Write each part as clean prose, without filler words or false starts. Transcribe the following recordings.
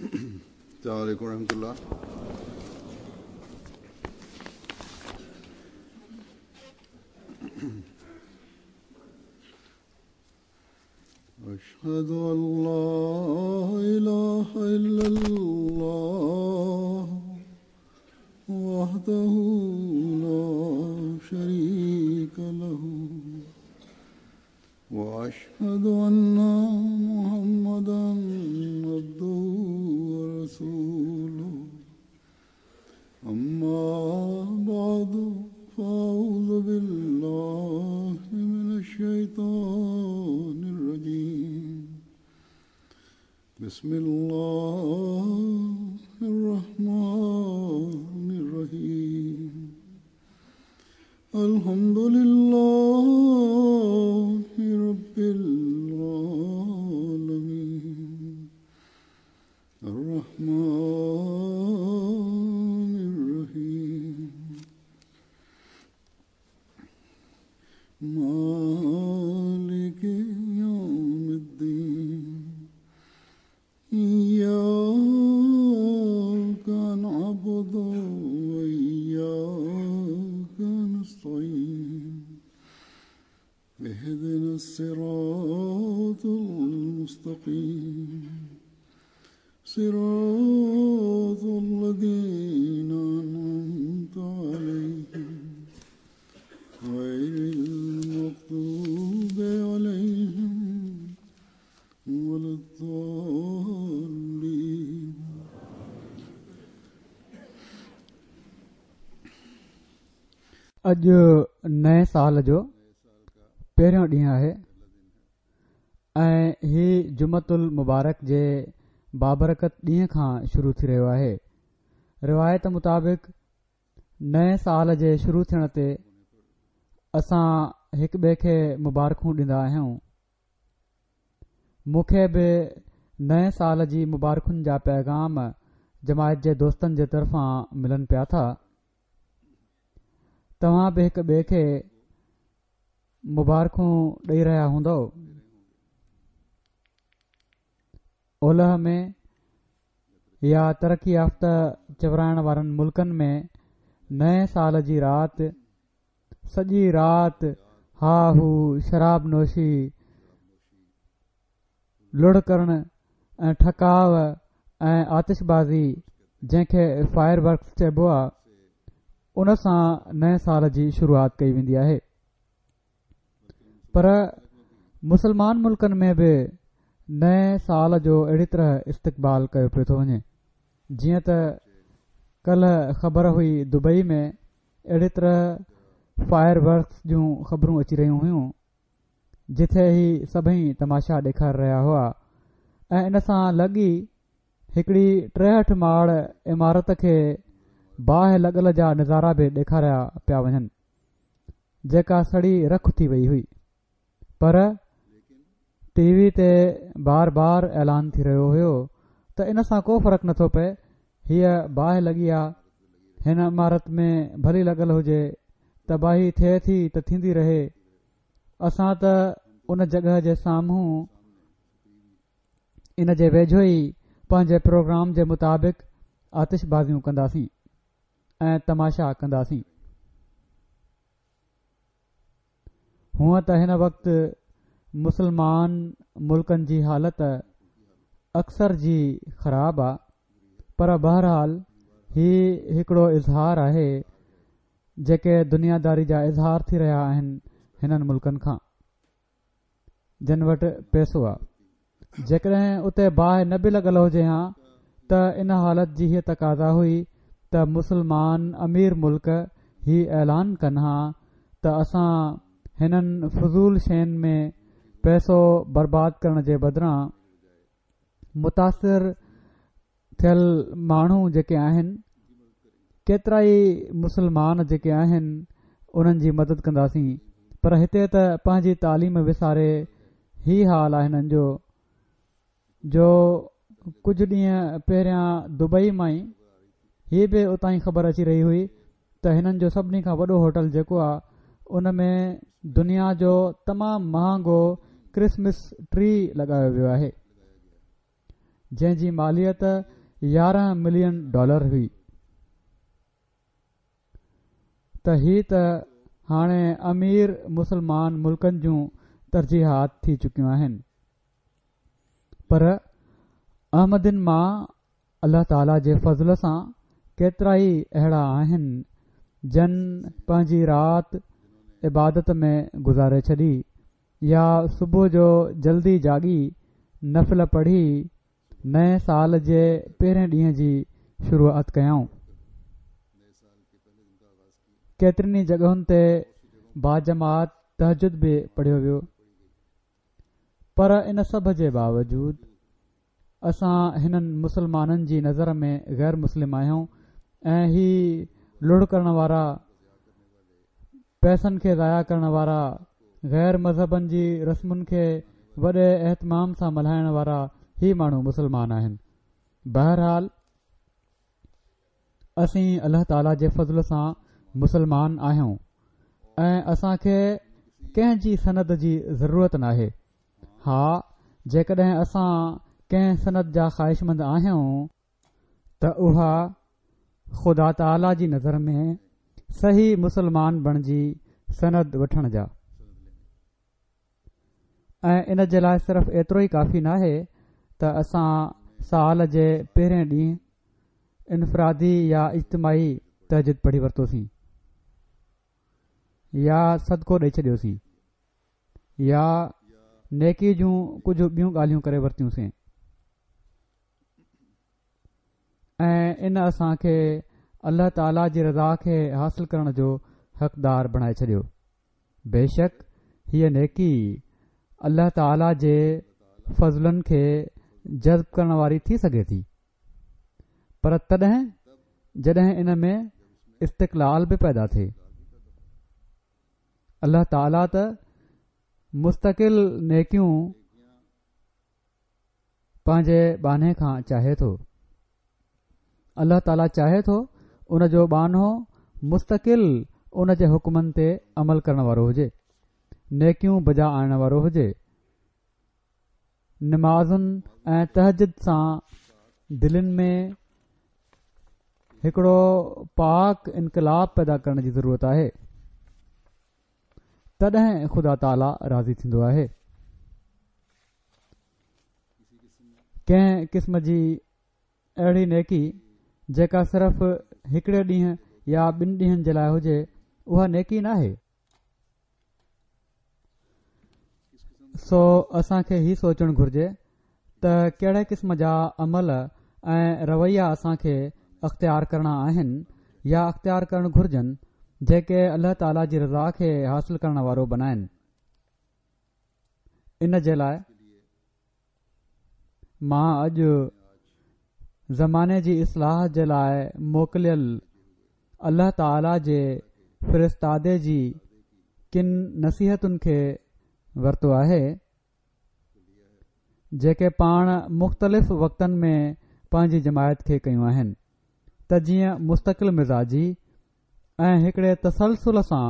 السلام عليڪم ورحمة الله. أشهد أن لا إله إلا الله وحده لا شريك له وأشهد أن محمدا عبده ورسوله أما بعد فأعوذ بالله من الشيطان الرجيم بسم الله الرحمن الرحيم الحمد لله رب العالمين الرحمن الرحيم مالك يوم الدين إياك نعبد وإياك نستعين اهدنا الصراط المستقيم صراط الذين أنعمت عليهم غير المغضوب عليهم ولا الضالين. اڄ نئين سال جو پهريون ڏينهن آهي ۽ هي جمعة المبارڪ جي بابرڪت ڏينهن کان شروع ٿي رهيو آهي. روايت مطابق نئين سال جي شروع ٿيڻ تي اسان هڪ ٻئي کي مبارڪون ڏيندا آهيون. مون کي به نئين سال جي مبارڪن جا پيغام جماعت جي دوستن جي طرفان ملن پيا ٿا. توهان به هڪ ٻئي کي مبارڪون ڏئي رهيا هوندؤ. اولهه ۾ يا ترقي يافته چورائڻ وارن ملڪن ۾ نئين سال جي رات سڄي رات ها هو شراب نوشي، لڙ ڪرڻ ۽ ٺڪاء ۽ آتش بازي جنهن کي فائر ورڪس چئبو آ ان سان نئين سال جي شروعات ڪئي ويندي آهي. پر مسلمان ملڪن ۾ به نئين سال جو اهڙي طرح استقبال ڪيو پيو ٿو وڃي جيئن ته ڪلهه خبر هئي دبئي ۾ اهڙي طرح فائر ورڪس جون خبرون اچي رهيون هيون جتي هي سڀئي تماشا ڏيکاري رهيا هئا ۽ ان سان لڳ ئي هڪڙي 63 ماڙ عمارت کي باهه لڳل جا نظارا به ڏيکاريا پيا وڃن. جيڪا سڙي رک ٿي وئي هئي پر ٽي وي تي بار بار اعلان ٿي رهيو هيو ته ان سان ڪو فرق نٿو پئي هيء باهه لڳي آ هن عمارت ۾ ڀلي لڳل هجي تباهي ٿئي ٿي ته ٿيندي رهي اسان ته ان جڳهه جي سامهون ان جي ويجهو ئي پنهنجي پروگرام جي مطابق آتش بازيون ڪنداسين. ۽ تماشا ڪنداسين. هونء ته هن وقت مسلمان ملڪن جي حالت اڪثر جي خراب آ پر بهرحال هي هڪڙو اظهار آهي جيڪي دنياداري جا اظهار ٿي رهيا آهن هنن ملڪن کان. جن وٽ پئسو آ. جيڪڏهن اتي باهه نه به لڳل هجي هان ته ان حالت جي هيء تقاضا هئي ته مسلمان امير ملڪ هي اعلان ڪن هان ته اسان هنن فضول شين ۾ پئسو برباد ڪرڻ جي بدران متاثر ٿيل ماڻهو جيڪي آهن ڪيترائي مسلمان جيڪي آهن انهن جي مدد ڪنداسين پر هتي ته پنهنجي تعليم وساري هي حال آهي هنن جو جو ڪجهه ڏينهن پهريان دبئي مان ئي هي به اتان ئي خبر اچي رهي هئي ته هنن جو سڀني کان وڏو هوٽل جيڪو آهي ان ۾ دنيا جو تمام مهانگو ڪرسمس ٽري لڳايو ويو آهي. جنهن جي ماليت 11 ملين ڊالر هئي ته هي ته هاڻي امير مسلمان ملڪن جون ترجيحات ٿي چڪيون آهن پر احمدين مان الله تعالي جي فضل سان ڪيترائي اهڙا آهن جن پنهنجي رات عبادت ۾ گذاري ڇڏي يا صبح جو جلدي جاڳي نفل پڙهي نئين سال جي پهرين ڏينهن جي شروعات ڪيائون. ڪيترين ئي جڳهن تي باجماعت تهجد به پڙهيو ويو پر ان سڀ جي باوجود اسان هنن مسلمانن جي نظر ۾ غير مسلم آهيون ۽ هي لڙ ڪرڻ وارا، پئسن کي ضايع ڪرڻ وارا، غير مذهبن جي رسمن کي وڏي اهتمام سان ملهائڻ وارا هي ماڻهو مسلمان آهن. بهرحال اسين الله تعالي جي فضل سان مسلمان آهيون ۽ اسان کي ڪنهن جي سند جي ضرورت ناهي. ها جيڪڏهن اسان ڪنهن سند جا خواهشمند آهيون ته اها خدا تعاليٰ جي نظر ۾ صحيح مسلمان بڻجي سند وٺڻ جا ۽ ان جي لاء صرف ايترو ئي ڪافي ناهي ته اسان سال جي پهرين ڏينهن انفرادي يا اجتماعي تهجد پڙهي ورتوسين يا صدقو ڏئي ڇڏيوسين يا نيڪي جون ڪجهه ٻيون ڳالهيون ڪري ورتيون سين ۽ ان اسان کي الله تعالي جي رضا کي حاصل ڪرڻ جو حقدار بڻائي ڇڏيو. بيشڪ هيء نيڪي الله تعالي جي فضلن کي جذب ڪرڻ واري ٿي سگهي ٿي پر تڏهن جڏهن ان ۾ استقلال به پيدا ٿئي. الله تعاليٰ ته مستقل نيڪيون پنهنجي ٻانهي کان چاهي ٿو. الله تعاليٰ چاهي ٿو ان جو ٻانهو مستقل ان جي حڪمن تي عمل ڪرڻ وارو هجي، نيڪيون بجا آڻڻ وارو هجي. نمازن ۽ تهجد سان دلين ۾ هڪڙو پاڪ انقلاب پيدا ڪرڻ جي ضرورت آهي تڏهن خدا تعاليٰ راضي ٿيندو آهي. ڪنهن قسم جي اهڙي نيڪي جيڪا صرف هڪڙي ڏينهن يا ٻن ڏينهن جي لاء هجي اها نيڪي ناهي. سو اسان کي هي سوچڻ گهرجي ته ڪهڙي قسم جا عمل ۽ رويا اسان کي اختيار ڪرڻا آهن يا اختيار ڪرڻ گهرجن جيڪي الله تعالي جي رضا کي حاصل ڪرڻ وارو بنائن. ان جي لاء مان اڄ زماني جي اصلاح جي لاء موڪليل الله تعالي جي فرستادي جي ڪن نصيحتن کي ورتو آهي، جيڪي پاڻ مختلف وقتن ۾ پنهنجي جماعت کي ڪيون آهن ته جيئن مستقل مزاجي ۽ هڪڙي تسلسل سان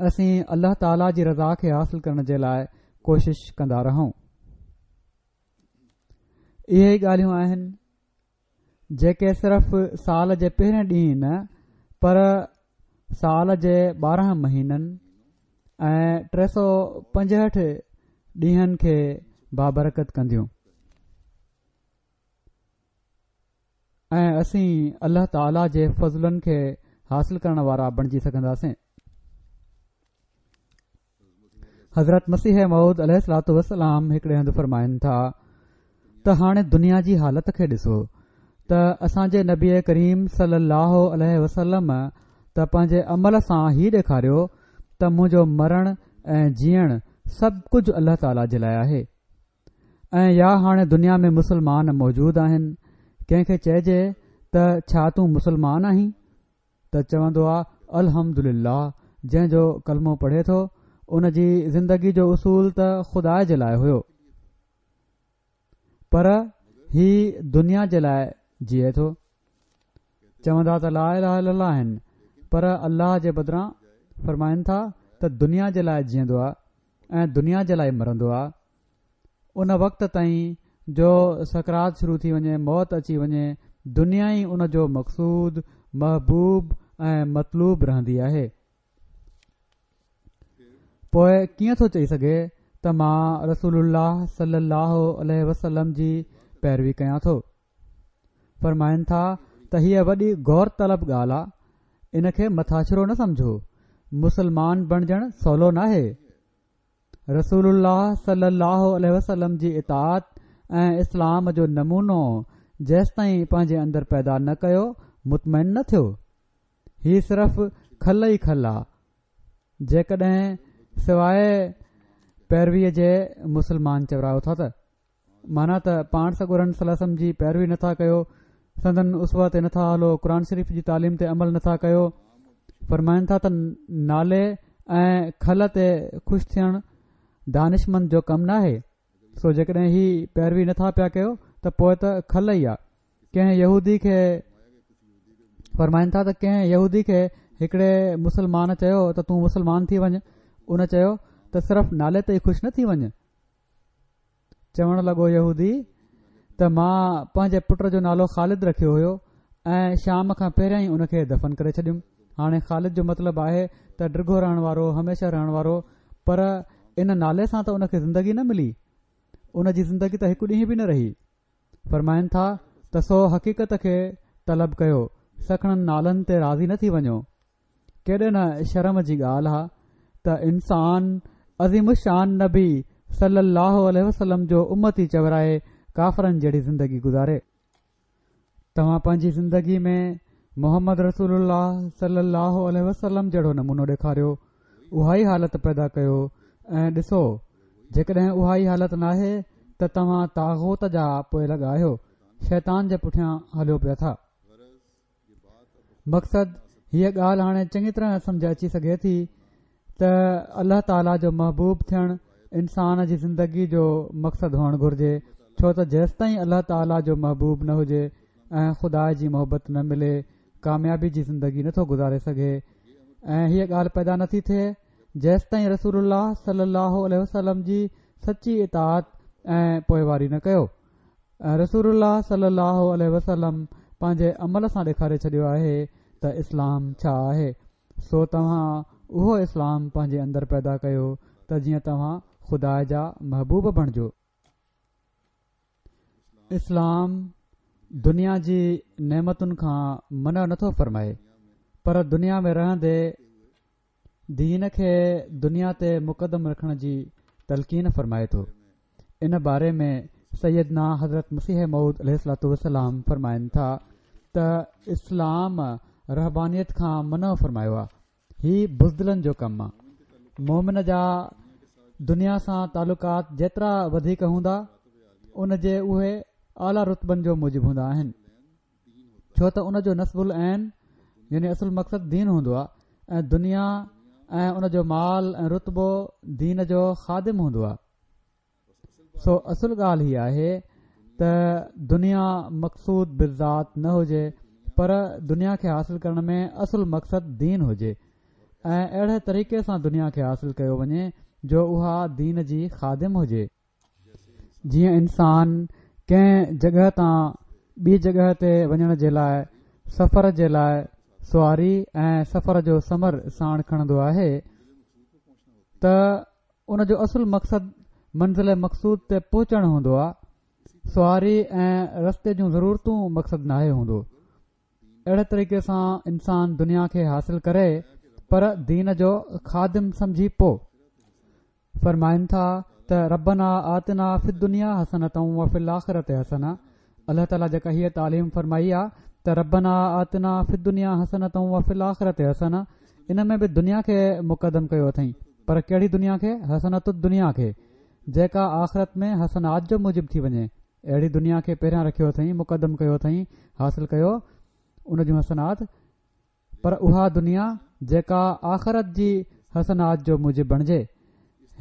اسين الله تعالي جي رضا کي حاصل ڪرڻ جي لاء ڪوشش ڪندا رهون. اهي ئي ڳالهيون آهن جيڪي صرف سال جي پهرين ڏينهن نه پر سال جي 12 مهينن ۽ 365 ڏينهن کي بابرڪت ڪنديون ۽ اسين الله تعالي جي فضلن کي حاصل ڪرڻ وارا بڻجي سگهنداسين. حضرت مسيح موعود عليه الصلوة والسلام هڪڙي هنڌ فرمائن ٿا ته هاڻي دنيا جي حالت کي ڏسو ته اسان جي نبي ڪريم صلي الله عليه وسلم ته پنهنجي عمل سان هي ڏيکاريو ته منهنجو مرڻ ۽ جيئڻ سڀ ڪجهه الله تعالي جي لاء آهي ۽ يا هاڻي دنيا ۾ مسلمان موجود آهن ڪنهن کي چئجي ته ڇا تون مسلمان آهين ته چوندو آ الحمدلله جنهن جو ڪلمو پڙهي ٿو ان جي زندگي جو اصول ته خدا جي لاء هيو پر هي دنيا جي لاء جيئي ٿو چوندا ته لا اله الا الله آهن پر الله جي بدران فرمائن ٿا ته دنيا جي لاء جيئندو آ ۽ دنيا جي لاء مرندو آ ان وقت تائين جو سڪرات شروع ٿي وڃي، موت اچي وڃي، دنيا ئي ان جو مقصود، محبوب ۽ مطلوب رهندي آهي. پوء ڪيئن ٿو چئي سگهي ته مان رسول الله صلي الله عليه وسلم جي پيروي ڪيان ٿو. فرمائن ٿا ته هيء وڏي غور طلب ڳالهه آ، ان کي مٿاڇرو نه سمجهو، مسلمان بڻجڻ سولو ناهي. رسول الله صلي الله عليه وسلم جي اطاعت ۽ اسلام جو نمونو جيستائين پنهنجي اندر پيدا نه ڪيو مطمئن نه ٿيو. هي صرف کل ئي کل آ. جيڪڏهن سواء پيرويء جي مسلمان چورايو ٿا ته. معنيٰ ته پاڻ سڳورن صلي الله عليه وسلم جي پيروي نٿا ڪيو، سندن اسوه تي نٿا هلو، قرآن شريف جي تعليم تي عمل نٿا ڪيو، فرمائن ٿا ته نالي ۽ کل تي خوش ٿيڻ دانشمند جو ڪم ناهي، سو جيڪڏهن هي پيروي نٿا پيا ڪيو ته پوء ته کل ئي آ. ڪنهن يهودي کي فرمائن ٿا ته ڪنهن يهودي کي هڪڙي مسلمان چيو ته تون مسلمان ٿي وڃ، ان چيو ته صرف نالي تي ئي خوش نه ٿي وڃ. چوڻ لڳو يهودي ته مان پنهنجي پٽ جو نالو خالد رکيو هيو ۽ شام کان پهريان ئي ان کي دفن ڪري ڇڏيم هاڻي خالد جو مطلب آهي ته ڊگهو رهڻ وارو هميشه رهڻ وارو پر ان نالي سان ته ان کي زندگي نه ملي ان جي زندگي ته هڪ ڏينهن به نه رهي فرمائن ٿا ته سو حقيقت کي طلب ڪيو سکڻن نالن تي راضي نه ٿي وڃو ڪيڏي نه شرم جي ڳالهه آ ته انسان عظيم الشان نبي صلي الله عليه وسلم جو امتي چورائي ڪافرن جهڙي زندگي گذاري. توهان پنهنجي زندگي ۾ محمد رسول الله صلي الله عليه وسلم جهڙو نمونو ڏيکاريو، اها ئي حالت پيدا ڪيو ۽ ڏسو جيڪڏهن اها ئي حالت ناهي ته توهان طاغوت جا پوئلڳ آهيو، شيطان جي پٺيان هليو پيا ٿا. مقصد هيء ڳالهه هاڻي چڱي طرح سمجهه اچي سگهي ٿي ته الله تعاليٰ جو محبوب ٿيڻ انسان جي زندگي جو مقصد هئڻ گهرجي ڇو ته جيستائين الله تعاليٰ جو محبوب نه هجي ۽ خدا جي محبت نه ملي ڪاميابي جي زندگي نٿو گذاري سگهي ۽ هيء ڳالهه پيدا نٿي ٿئي جيستائين رسول الله صلي الله عليه وسلم جي سچي اطاعت ۽ پوئواري نه ڪيو رسول الله صلي الله عليه وسلم پنهنجي عمل سان ڏيکاري ڇڏيو آهي ته اسلام ڇا آهي، سو توهان اهو اسلام پنهنجي اندر پيدا ڪيو ته جيئن توهان خدا جا محبوب بڻجو. اسلام دنيا جي نعمتن کان منع نٿو فرمائي پر دنيا ۾ رهندي دين کي دنيا تي مقدم رکڻ جي تلقين فرمائي ٿو. ان باري ۾ سيدنا حضرت مسيح موعود عليه الصلوة والسلام فرمائن ٿا ته اسلام رهبانيت کان منع فرمايو آ. هي بزدلن جو ڪم آ. مومن جا دنيا سان تعلقات جيترا وڌيڪ هوندا ان جي اهي اعليٰ رتبن جو موجب هوندا آهن. ڇو ته ان جو نصب العين يعني اصل مقصد دين هوندو آهي ۽ دنيا ۽ ان جو مال ۽ رتبو دين جو خادم هوندو آهي سو اصل ڳالهه هي آهي ته دنيا مقصود بالذات نه هجي پر دنيا کي حاصل ڪرڻ ۾ اصل مقصد دين هجي ۽ اهڙي طريقي سان دنيا کي حاصل ڪيو وڃي جو اها دين جي خادم هجي جيئن انسان ڪنهن جڳهه تان ٻي جڳهه تي وڃڻ جي لاء سفر جي لاء سواري ۽ سفر جو ثمر ساڻ کڻندو آهي ته ان جو اصل مقصد منزل مقصود تي پهچڻ هوندو آهي سواري ۽ رستي جون ضرورتون مقصد ناهي هوندو اهڙي طريقي سان انسان دنيا کي حاصل ڪري پر دين جو خادم سمجهي پو فرمائن ٿا ته ربنا آتنا في الدنيا حسنة وفي الاخرة حسنة الله تعالي جيڪا هيء تعليم فرمائي آ ته ربنا آتنا في الدنيا حسنة وفي الاخرة حسنة ان ۾ به دنيا کي مقدم ڪيو اٿئين پر ڪهڙي دنيا کي حسنة الدنيا کي جيڪا آخرت ۾ حسنات جو موجب ٿي وڃي اهڙي دنيا کي پهريان رکيو اٿئين مقدم ڪيو اٿئين حاصل ڪيو ان جون حسنات پر اها دنيا جيڪا آخرت جي حسنات جو موجب بڻجي.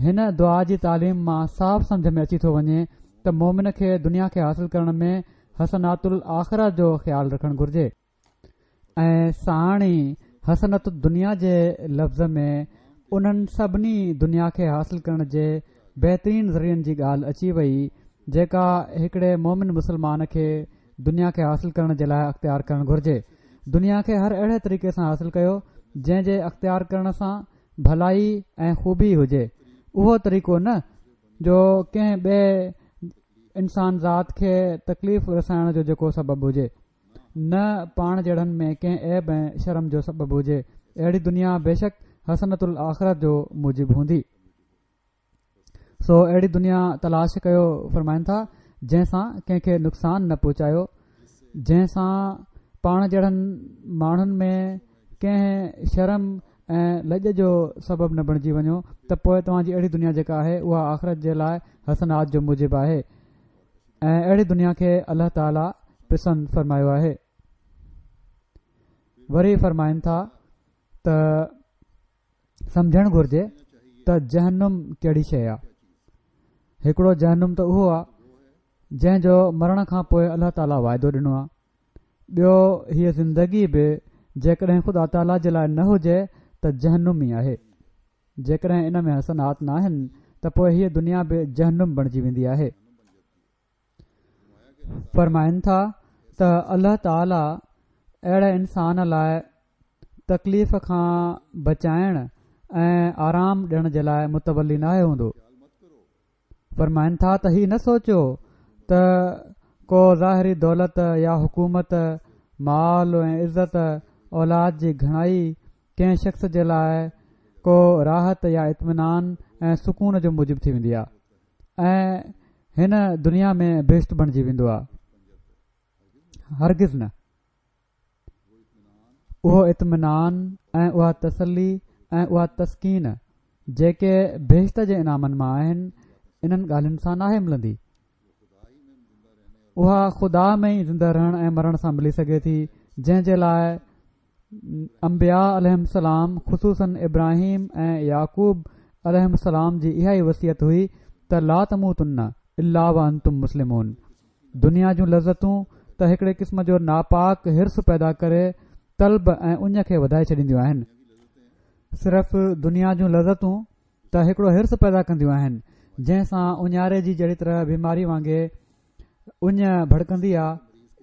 هن دعا جي تعليم مان صاف سمجهه ۾ اچي ٿو وڃي ته مؤمن کي دنيا کي حاصل ڪرڻ ۾ حسنات الاخره جو خيال رکڻ گهرجي ۽ ساڻ ئي حسنة الدنيا جي لفظ ۾ انهن سڀني دنيا کي حاصل ڪرڻ جي بهترين ذريعن جي ڳالهه اچي وئي جيڪا هڪڙي مومن مسلمان کي دنيا کي حاصل ڪرڻ جي لاء اختيار ڪرڻ گهرجي. دنيا کي هر اهڙي طريقي سان حاصل ڪيو جنهن جي اختيار ڪرڻ سان ڀلائي ۽ خوبي هجي. اهو طريقو نه جو ڪنهن ٻئي انسان ذات کي تڪليف رسائڻ جو جيڪو سبب هجي. نه پاڻ جهڙن ۾ ڪنهن عيب ۽ شرم جو سبب هجي. اهڙي دنيا بيشڪ حسنة الاخرت جو موجب هوندي. سو اهڙي دنيا تلاش ڪيو فرمائن ٿا جنهن سان ڪنهن کي نقصان نه پهچايو جنهن سان پاڻ جهڙن ماڻهن ۾ ڪنهن شرم ۽ لڄ جو سبب نه بڻجي وڃو ته پوء توهان جي اهڙي دنيا جيڪا آهي اها آخرت جي لاء حسنات جو موجب آهي ۽ اهڙي دنيا کي الله تعالي پسند فرمايو آهي وري فرمائن ٿا ته سمجهڻ گهرجي ته جهنم ڪهڙي شيء آ. هڪڙو جهنم ته اهو آ جنهن جو مرڻ کان پوء الله تعاليٰ وعدو ڏنو آ. ٻيو هيء زندگي به جيڪڏهن خدا تعاليٰ جي لاء نه هجي ته جهنم ئي آهي. جيڪڏهن ان ۾ حسنات ناهن ته پوء هيء دنيا به جهنم بڻجي ويندي آهي. فرمائن ٿا ته الله تعاليٰ اهڙي انسان لاء تڪليف کان بچائڻ ۽ آرام ڏيڻ جي لاء متولي ناهي هوندو. فرمائن ٿا ته هي نه سوچيو ته ڪو ظاهري دولت يا حڪومت، مال ۽ عزت، اولاد جي گهڻائي ڪنهن شخص جي لاء ڪو راحت يا اطمينان ۽ سڪون جو موجب ٿي ويندي آهي. ۽ هن دنيا ۾ بهشت بڻجي ويندو آ هرگز نه اهو اطمينان ۽ اها تسلي ۽ اها تسڪين جيڪي بهشت جي انعامن مان آهن انهن ڳالهين سان ناهي ملندي اها خدا ۾ ئي زنده رهڻ ۽ مرڻ سان ملي سگهي ٿي جنهن جي لاء انبياء عليهم السلام خصوصاً ابراهيم ۽ يعقوب عليهم السلام جي اها ئي وصيت هئي ته لا تموتن الا وانتم مسلمون دنيا جون لذتون ته هڪڙي قسم جو ناپاڪ حرص پيدا ڪري طلب ۽ اڃ کي وڌائي ڇڏينديون آهن. صرف دنيا جون لذتون ته هڪڙو حرص پيدا ڪنديون آهن جنهن سان اڃاري جي جهڙي طرح بيماري وانگي اڃ ڀڙڪندي آ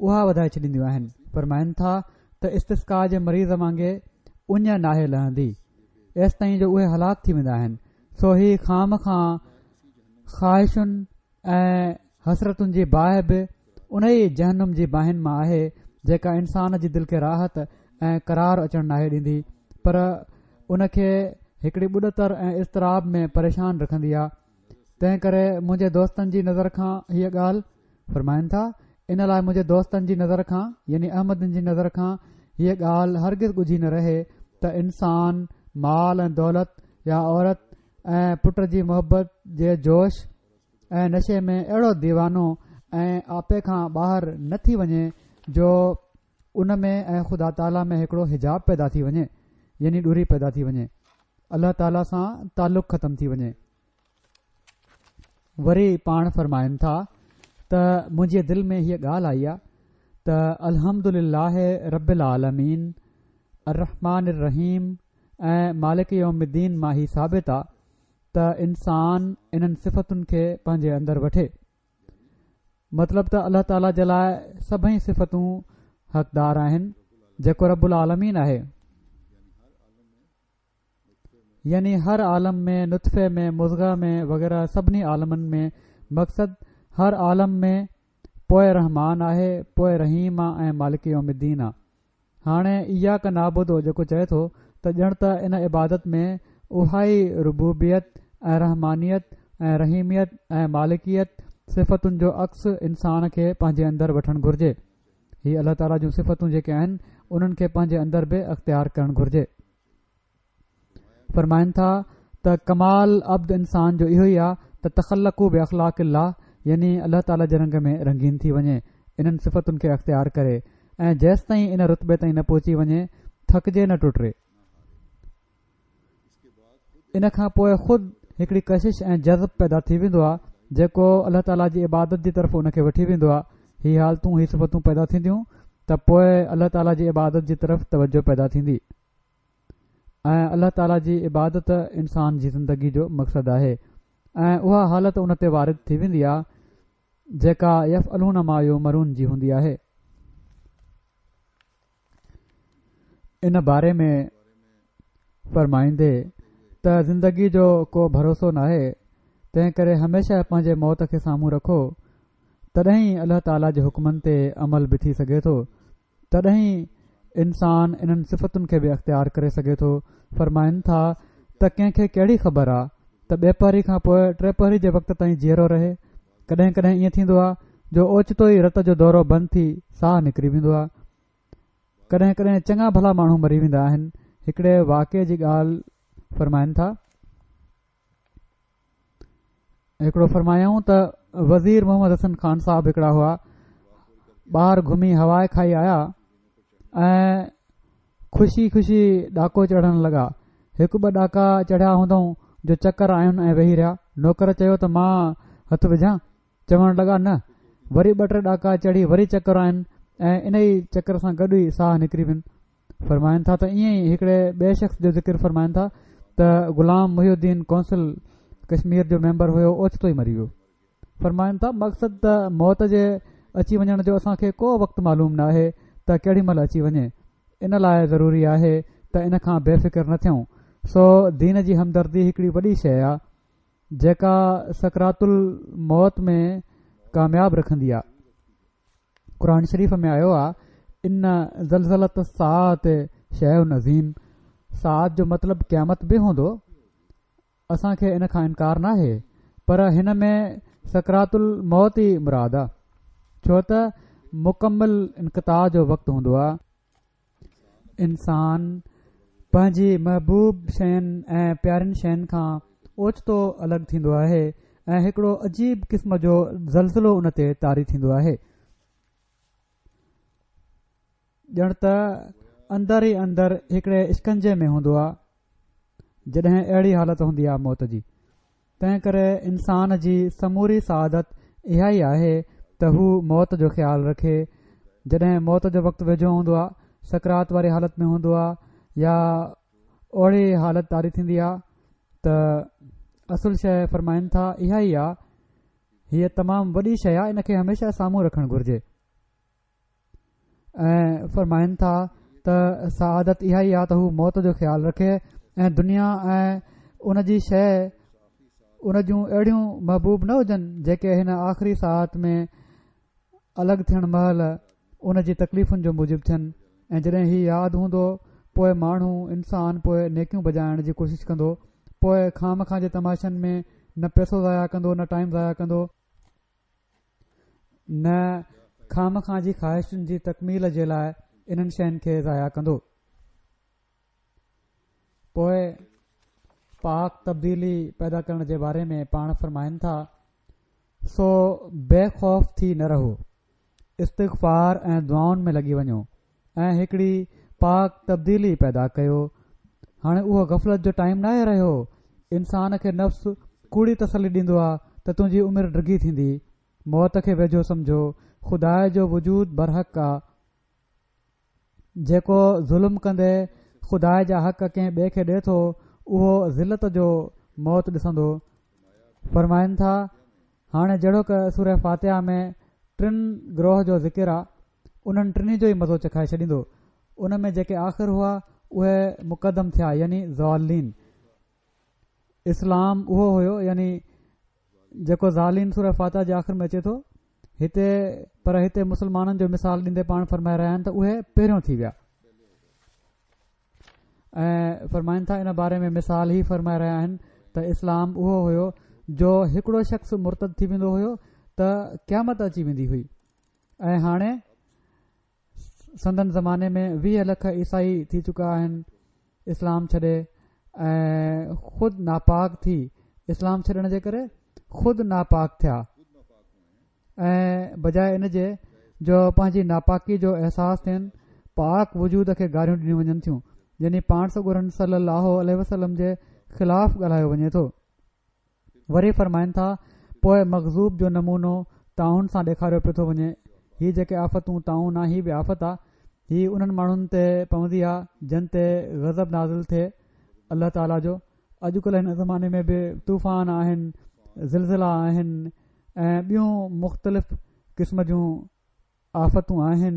اها وڌائي ڇڏينديون آهن فرمائن ٿا ته استسقا جي مريض وانگي اڃ ناهي لهندي ايستائين جو اهي هلاڪ ٿي ويندا آهن سو هي خوامخواه خواهشن ۽ حسرتن جي باهه به ان ئي جهنم جي باهن مان آهي جيڪا انسان جي دل کي راحت ۽ قرار اچڻ ناهي ڏيندي پر ان کي هڪڙي ٻڏتر ۽ اضطراب ۾ پريشان رکندي آ تنهن ڪري منهنجي دوستن جي نظر کان هيء ڳالهه فرمائن ٿا، ان لاء منهنجي دوستن جي نظر کان يعني احمدين جي نظر کان هيء ڳالهه هرگز ڳجهي نه رهي ته انسان مال ۽ دولت يا عورت ۽ پٽ جي محبت جي جوش ۽ نشي ۾ اهڙو ديوانو ۽ آپي کان ٻاهر نه ٿي وڃي جو ان ۾ ۽ خدا تعاليٰ ۾ هڪڙو حجاب پيدا ٿي وڃي يعني ڏوري پيدا ٿي وڃي الله تعاليٰ سان تعلق ختم ٿي وڃي. وري پاڻ فرمائن ٿا ته منهنجي دل ۾ هيء ڳالهه آئي آ ته الحمد لله رب العالمين الرحمٰن الرحيم ۽ مالڪ يوم الدين مان هي ثابت آ ته انسان انهن صفتن کي پنهنجي اندر وٺي مطلب ته الله تعاليٰ جي لاء سڀئي صفتون حقدار آهن جيڪو رب العالمين آهي. يعني هر عالم ۾ نطفي ۾ مضغه ۾ وغيره سڀني عالمن ۾ مقصد هر عالم ۾ پوء رحمان آهي پوء رحيم آ ۽ مالڪ يوم الدين آ. هاڻي اياڪ نعبد جيڪو چئي ٿو ته ڄڻ ته ان عبادت ۾ اها ئي ربوبيت ۽ رحمانيت ۽ رحيميت ۽ مالڪيت صفتن جو عڪس انسان کي پنهنجي اندر وٺڻ گهرجي. هي الله تعاليٰ جون صفتون جيڪي آهن انهن کي پنهنجي اندر به اختيار ڪرڻ گهرجي. فرمائن ٿا ته ڪمال عبد انسان جو اهو ئي آ ته تخلقوا باخلاق الله يعني الله تعالي جي رنگ ۾ رنگين ٿي وڃي انهن صفتن کي اختيار ڪري ۽ جيستائين ان رتبي تائين نه پهچي وڃي ٿڪجي نه ٽٽي. ان کان پوء خود هڪڙي ڪشش ۽ جذب پيدا ٿي ويندو آ جيڪو الله تعالي جي عبادت جي طرف ان کي وٺي ويندو آ هي حالتون هي صفتون پيدا ٿينديون ته پوء الله تعالي جي عبادت جي طرف توجه پيدا ٿيندي. ۽ الله تعالي جي عبادت انسان جي زندگي جو مقصد آهي ۽ اها حالت ان تي وارد ٿي ويندي آهي. جيڪا يفعلون ما يؤمرون جي هوندي آهي. ان باري ۾ فرمائيندي ته زندگي جو ڪو ڀروسو ناهي تنهن ڪري هميشه پنهنجي موت کي سامهون رکو تڏهن ئي الله تعالي جي حڪمن تي عمل به ٿي سگهي ٿو تڏهن ئي انسان انهن صفتن کي به اختيار ڪري سگهي ٿو فرمائن ٿا ته ڪنهن کي ڪهڙي خبر آ ته ٻيپهري کان پوء ٽيپهري جي وقت تائين جيئرو رهي ڪڏهن ڪڏهن ائين ٿيندو آ جو اوچتو ئي رت جو دورو بند ٿي ساهه نڪري ويندو آ ڪڏهن ڪڏهن چڱا ڀلا ماڻهو مري ويندا آهن. هڪڙي واقعي جي ڳالهه فرمائن ٿا. هڪڙو فرمايائون ته وزير محمد حسن خان صاحب هڪڙا هئا ٻاهر گهمي هوا کائي آيا ۽ خوشي خوشي ڏاڪو چڙهڻ لڳا هڪ ٻه ڏاڪا چڙهيا هوندائون جو چڪر آين ۽ ويهي رهيا نوڪر چيو ته مان هٿ وجهان چوڻ لڳا نه وري ٻه ٽي ڏاڪا چڙهي وري چڪر آين ۽ انهي چڪر سان گڏ ئي ساهه نڪري وين. فرمائن ٿا ته ائين ئي هڪڙي ٻئي شخص جو ذڪر فرمائن ٿا ته غلام محي الدين ڪونسل ڪشمير جو ميمبر هيو اوچتو ئي مري ويو. فرمائن ٿا مقصد ته موت جي اچي وڃڻ جو اسان کي ڪو وقت معلوم ناهي ته ڪهڙي مهل اچي وڃي ان لاء ضروري آهي ته ان کان بي فڪر نه ٿيون سو دين جي همدردي هڪڙي وڏي شيء آ جيڪا سڪرات الموت ۾ ڪامياب رکندي آ. قرآن شريف ۾ آيو آ ان زلزلة الساعة شيء عظيم ساعت جو مطلب قيامت به هوندو اسان کي ان کان انڪار ناهي پر هن ۾ سڪرات الموت ئي مراد آ ڇو ته مڪمل انقطاع جو وقت هوندو آ. انسان پنهنجي محبوب شين ۽ پيارين شين کان اوچتو الڳ ٿيندو آهي ۽ هڪڙو عجيب قسم جو زلزلو ان تي طاري ٿيندو آهي ڄڻ ته اندر ئي اندر هڪڙي اشڪنجي ۾ هوندو آهي جڏهن اهڙي حالت هوندي آهي موت جي تنهن ڪري انسان جي سموري سعادت اها ئي آهي ته هو موت جو خيال رکي. جڏهن موت جو وقت ويجهو هوندو آهي، سڪرات واري حالت ۾ هوندو آهي يا اهڙي حالت طاري ٿيندي آهي ته اصل شيء فرمائن ٿا اها ئي آهي. هيء تمام وڏي شيء آهي ان کي هميشه سامهون رکڻ گهرجي. ۽ فرمائن ٿا ته سعادت اها ئي آ ته هو موت جو خيال رکي ۽ دنيا ۽ ان جي شيء ان جون اهڙيون محبوب نه هجن جيڪي هن آخري ساعت ۾ الڳ ٿيڻ مهل ان جي تڪليفن جو موجب ٿين ۽ جڏهن هي ياد هوندو پوء ماڻهو انسان پوء نيڪيون بجائڻ جي ڪوشش ڪندو پوء خوامخواه جي تماشن ۾ نه پئسو ضايع ڪندو نه ٽائيم ضايع ڪندو. نه خوامخواه جي خواهشن جي تڪميل جي لاء انهن شين کي ضايع ڪندو. پوء پاڪ تبديلي پيدا ڪرڻ جي باري ۾ پاڻ فرمائن ٿا، سو بي خوف ٿي نه رهو، استغفار ۽ دعائن ۾ لڳي وڃو ۽ هڪڙي پاڪ تبديلي پيدا ڪيو. هاڻي اهو غفلت جو ٽائيم ناهي رهيو. انسان کي نفس ڪوڙي تسلي ڏيندو آ ته تنهنجي عمر ڊگهي ٿيندي. موت کي ويجهو سمجهو. خدا جو وجود برحق آ. جيڪو ظلم ڪندي خدا جا حق ڪنهن ٻئي کي ڏي ٿو اهو ذلت جو موت ڏسندو. فرمائن ٿا هاڻي جهڙوڪ سوره فاتحه ۾ ٽن گروهه جو ذڪر آ. انهن ٽنهي جو ئي مزو چکائي ڇڏيندو. ان ۾ جيڪي آخر هئا اهي مقدم ٿيا يعني ضالين. اسلام اهو هيو يعني جيڪو ضالين سوره فاتحه جي آخر ۾ اچي ٿو هتي پر هتي مسلمانن جو مثال ڏيندي پاڻ فرمائي رهيا آهن ته اهي پهريون ٿي ويا ۽ فرمائن ٿا ان باري ۾ مثال هي فرمائي رهيا آهن ته اسلام اهو هيو جو هڪڙو شخص مرتد ٿي ويندو هيو ته قيامت اچي ويندي هئي ۽ هاڻي سندن زماني ۾ 20 لک عيسائي ٿي چڪا آهن اسلام ڇڏي ۽ خود ناپاڪ ٿي اسلام ڇڏڻ جي ڪري خود ناپاڪ ٿيا ۽ بجاء ان جي جو پنهنجي ناپاڪي جو احساس ٿين پاڪ وجود کي گاريون ڏنيون وڃن ٿيون يعني پاڻ سڳورن صلي الله عليه وسلم جي خلاف ڳالهايو وڃي ٿو وري فرمائن ٿا، پوء مغضوب جو نمونو طاعون سان ڏيکاريو پيو ٿو وڃي، هي جيڪي آفتون طاعون آ هي به آفت آ، هي انهن ماڻهن تي پوندي آ جن تي غضب نازل ٿئي الله تعالي جو، اڄڪلهه هن زماني ۾ به طوفان آهن، زلزلا آهن ۽ ٻيون مختلف قسم جون آفتون آهن،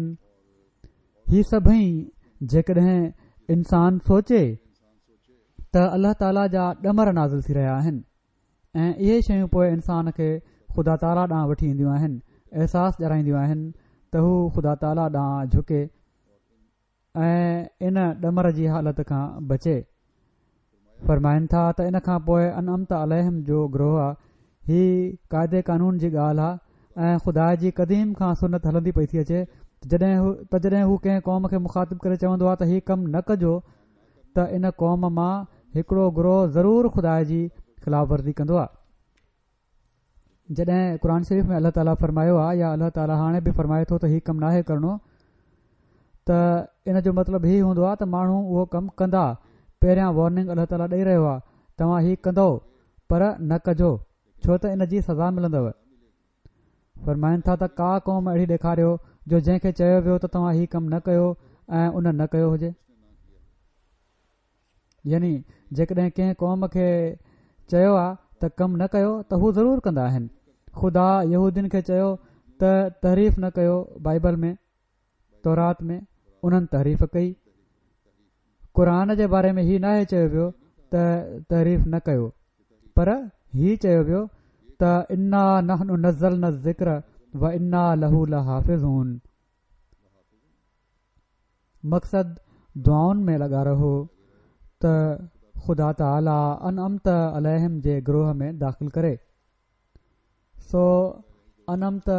هي سڀئي جيڪڏهن انسان سوچي ته الله تعاليٰ جا ڏمر نازل ٿي رهيا آهن ۽ اهي شيون پوء انسان کي خدا تعاليٰ ڏانهن وٺي اينديون آهن، احساس ڏيارائينديون آهن ته هو خدا تعاليٰ ڏانهن جهڪي ۽ ان ڏمر جي حالت کان بچي. فرمائن ٿا ته ان کان پوء انعمت عليهم جو گروهه آ، هي قاعدي قانون جي ڳالهه آ ۽ خدا جي قديم کان سنت هلندي پئي ٿي اچي ته جڏهن هو ڪنهن قوم کي مخاطب ڪري چوندو آ ته هي ڪم نه ڪجو ته ان قوم مان هڪڙو گروهه ضرور خدا جي خلاف ورزي ڪندو آ. جڏهن قرآن شريف ۾ الله تعاليٰ فرمايو آهي يا الله تعاليٰ هاڻي به فرمائي ٿو ته هي ڪم ناهي ڪرڻو ته ان جو مطلب هي هوندو آهي ته ماڻهو اهو ڪم ڪندا پهريان وارننگ الله تعاليٰ ڏئي رهيو آهي توهان هي ڪندؤ پر نه ڪجو ڇو ته ان جي سزا ملندؤ فرمائن ٿا ته ڪا قوم اهڙي ڏيکاريو جو جنهن کي چيو ويو ته توهان هي ڪم نه ڪيو ۽ ان نه ڪيو هجي يعني جيڪڏهن ڪنهن قوم کي چيو آ ته ڪم نه ڪيو ته هو ضرور ڪندا آهن. خدا يهودين کي چيو ته تحريف نه ڪيو بائيبل ۾، تورات ۾، انهن تحريف ڪئي. قرآن جي باري ۾ هي ناهي چيو ويو ته تحريف نه ڪيو پر هي چيو ويو ته انا نحن نزلنا الذڪر وانا له لحافظون. مقصد دعائن ۾ لڳا رهو ته خدا تعالي انعمت عليهم جي گروهه ۾ داخل ڪري. سو انعمت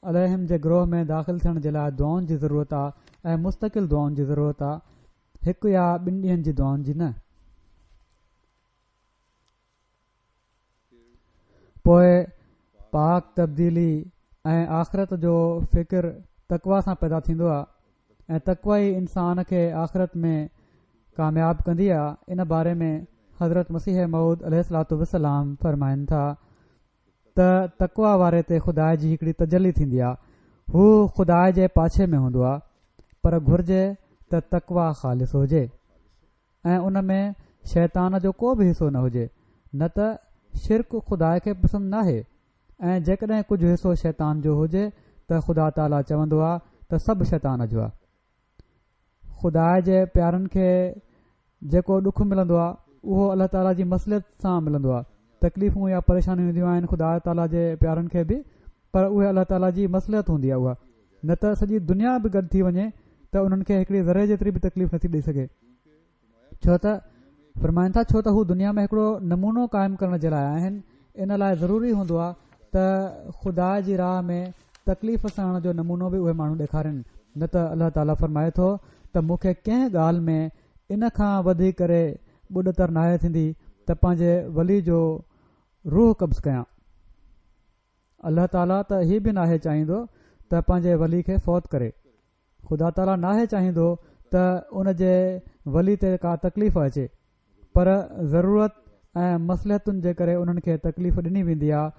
عليهم جي گروهه ۾ داخل ٿيڻ جي لاء دعائن جي ضرورت آ ۽ مستقل دعائن جي ضرورت آ هڪ يا ٻن ڏينهن جي دعائن جي نه. پوء پاڪ تبديلي ۽ آخرت جو فڪر تقويٰ سان پيدا ٿيندو آهي ۽ تقويٰ ئي انسان کي آخرت ۾ ڪامياب ڪندي آهي ان باري ۾ حضرت مسيح موعود عليه الصلوة والسلام فرمائن ٿا ته تقويٰ واري تي خدا جي هڪڙي تجلي ٿيندي آهي هو خدا جي پاڇي ۾ هوندو آهي پر گهرجي ته تقويٰ خالص هجي. ۽ ان ۾ شيطان جو ڪو به حصو نه هجي، نه ته شرڪ خدا کي پسند ناهي ۽ جيڪڏهن ڪجهه حصو شيطان جو هجي ته خدا تعاليٰ چوندو آ ته سڀ شيطان جو آ. خدا جي پيارن کي جيڪو ڏک ملندو آ اهو الله تعاليٰ جي مصلحت سان ملندو آ. تڪليفون يا پريشانيون اينديون آهن خدا تعاليٰ جي پيارن کي به پر اهي الله تعاليٰ جي مصلحت هوندي آ اها. نه ته سڄي دنيا به گڏ ٿي وڃي ته انهن کي هڪڙي ذري جيتري به تڪليف نٿي ڏئي سگهي ڇو ته فرمائن ٿا ڇو ته هو دنيا ۾ هڪڙو نمونو قائم ڪرڻ جي لاء آهن ان لاء ضروري هوندو آهي ته خدا جي راهه ۾ تڪليف سهڻ جو نمونو به اهي ماڻهو ڏيکارين نه ته الله تعاليٰ فرمائي ٿو ته مون کي ڪنهن ڳالهه ۾ ان کان وڌي ڪري ٻڏتر ناهي ٿيندي ته پنهنجي ولي جو روح قبض ڪيان الله تعاليٰ ته هي به ناهي چاهيندو ته پنهنجي ولي کي فوت ڪري. خدا تعاليٰ ناهي چاهيندو ته ان جي ولي تي ڪا تڪليف اچي پر ضرورت ۽ مصلحتن جي ڪري انهن کي تڪليف ڏني ويندي آهي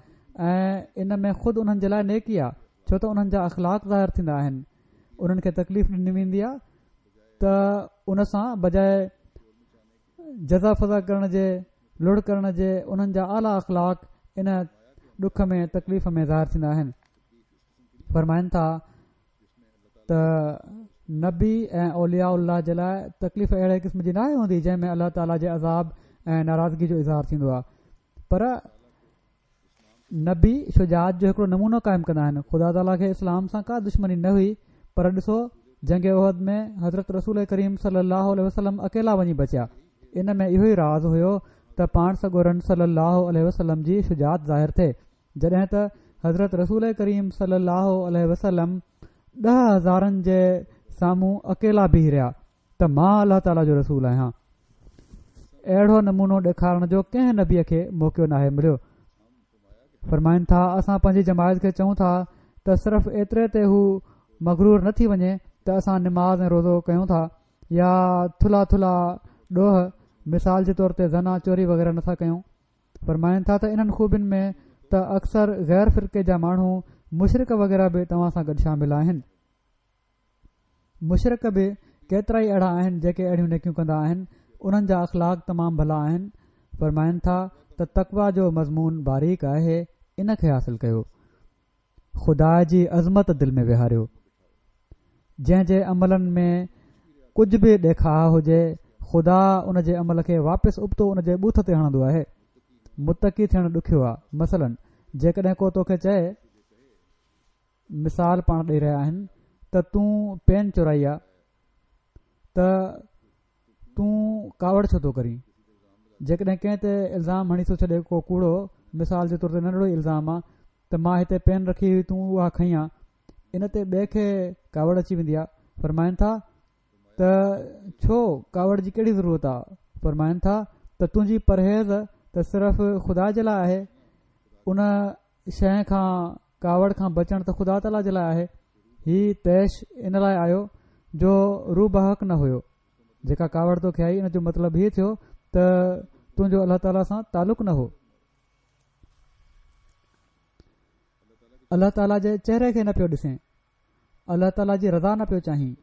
۽ ان ۾ خود انهن جي لاء نيڪي آهي ڇو ته انهن جا اخلاق ظاهر ٿيندا آهن انهن کي تڪليف ڏني ويندي آهي ته ان سان بجاء جزع فزع ڪرڻ جي، لڙ ڪرڻ جي انهن جا اعليٰ اخلاق ان ڏک ۾ تڪليف ۾ ظاهر ٿيندا آهن. فرمائن ٿا ته نبي ۽ اولياء الله جي لاء تڪليف اهڙي قسم جي ناهي هوندي جنهن ۾ الله تعاليٰ جي عذاب ۽ ناراضگي جو اظهار ٿيندو آهي پر نبي شجاعت جو هڪڙو نمونو قائم ڪندا آهن. خدا تعاليٰ کي اسلام سان ڪا دشمني نه هئي پر ڏسو جنگ احد ۾ حضرت رسول ڪريم صلي الله عليه وسلم اڪيلا وڃي بچيا ان ۾ اهو ئي راز هيو ته پاڻ سڳورن صلي الله عليه وسلم جي شجاعت ظاهر ٿئي جڏهن ته حضرت رسول ڪريم صلي الله عليه وسلم ڏهه هزارن جي سامهون اڪيلا بيهي رهيا ته مان الله تعاليٰ جو رسول آهيان. اهڙو نمونو ڏيکارڻ جو ڪنهن نبيء کي موقعو ناهي مليو. فرمائن ٿا، اسان پنهنجي جماعت کي چئون ٿا ته صرف ايتري تي هو مغرور نه ٿي وڃي ته اسان نماز ۽ روزو ڪيون ٿا يا ٿلها ٿلها ڏوهه مثال جي طور تي زنا، چوري وغيره نٿا ڪيون. فرمائن ٿا ته انهن خوبين ۾ ته اڪثر غير فرقي جا ماڻهو مشرڪ وغيره به توهان سان گڏ شامل آهن. مشرڪ به ڪيترائي اهڙا آهن جيڪي اهڙيون نيڪيون ڪندا آهن انهن جا اخلاق تمام ڀلا آهن فرمائن ٿا ته تقويٰ جو مضمون باريڪ آهي ان کي حاصل ڪيو. خدا جي عظمت دل ۾ ويهاريو. جنهن جي عملن ۾ ڪجهه به ڏيکاء هجي، خدا ان جي عمل کي واپس ابتو ان جي ٻوٿ تي هڻندو آهي. متقي ٿيڻ ڏکيو آ. مثلاً جيڪڏهن ڪو توکي چئي، مثال پاڻ ڏئي رهيا آهن، ته تون پين چورائي آ ته تون ڪاوڙ ڇو ٿو ڪرين؟ جيڪڏهن ڪنهن تي الزام هڻي ٿو ڇڏي ڪو ڪوڙو، مثال جي طور تي ننڍڙو ئي الزام آ ته مان هتي پين رکي هئي تون اها کنئي آ، ان تي ٻئي کي ڪاوڙ اچي ويندي آ، فرمائن ٿا ته ڇو ڪاوڙ جي ڪهڙي ضرورت آ؟ فرمائن ٿا ته تنهنجي پرهيز ته صرف خدا جي لاء آهي، ان شيء کان ڪاوڙ کان بچڻ ته خدا تعاليٰ جي لاء آهي. هي طيش ان لاء آيو جو روح بحق نه هيو. جيڪا ڪاوڙ توکي آئي ان جو مطلب هي ٿيو ته تنهنجو الله تعاليٰ سان تعلق نه هو. الله تعاليٰ جي چهري کي نه پيو ڏسين. الله تعاليٰ جي رضا نه پيو چاهين.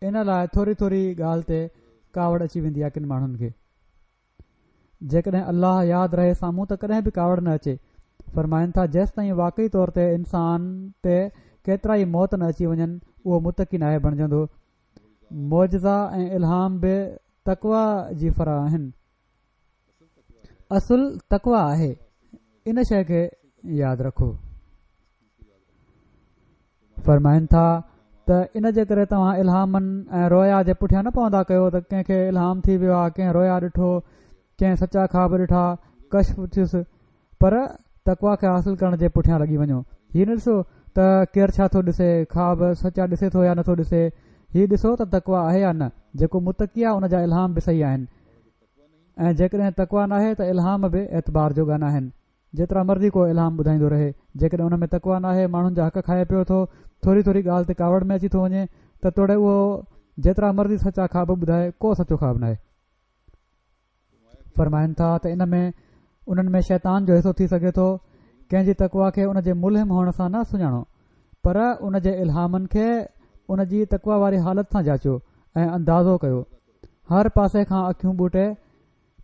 ان لاء ٿوري ٿوري ڳالهه تي ڪاوڙ اچي ويندي آهي ڪن ماڻهن کي. جيڪڏهن الله ياد رهي سامهون ته ڪڏهن به ڪاوڙ نه اچي. فرمائن ٿا جيستائين واقعي طور تي انسان تي ڪيترائي موت نه اچي وڃن اهو متقي ناهي بڻجندو. معجزا ۽ الهام به تقويٰ جي فرع آهن. اصل تقويٰ آهي. ان شيء کي ياد رکو. فرمائن ٿا ته ان جي ڪري توهان الهامن ۽ رويا جي پٺيان نه پوندا ڪيو ته ڪنهن کي الهام ٿي ويو آهي ڪنهن رويا ڏٺو ڪنهن سچا خواب ڏٺا ڪشف ٿيس پر تقوا کي حاصل ڪرڻ جي پٺيان لڳي وڃو هي نه ڏسو ته ڪير ڇا ٿو ڏسي خواب سچا ڏسي ٿو يا نٿو ڏسي هي ڏسو ته تقوا آهي يا نه جيڪو متقي آهي ان جا الهام به صحيح آهن ۽ جيڪڏهن تقوا ناهي ته الهام به اعتبار جوڳا ناهن جيترا مرضي ڪو الهام ٻڌائيندو رهي، جيڪڏهن ان ۾ تقويٰ ناهي، ماڻهن جا حق کائي پيو ٿو، ٿوري ٿوري ڳالهه تي ڪاوڙ ۾ اچي ٿو وڃي ته توڙي اهو جيترا مرضي سچا خواب ٻڌائي، ڪو سچو خواب ناهي. فرمائن ٿا ته ان ۾ انهن ۾ شيطان جو حصو ٿي سگهي ٿو، ڪنهن جي تقويٰ کي ان جي ملهم هئڻ سان نه سڃاڻو، پر ان جي الهامن کي ان جي تقويٰ واري حالت سان جاچيو ۽ اندازو ڪيو. هر پاسي کان اکيون ٻوٽي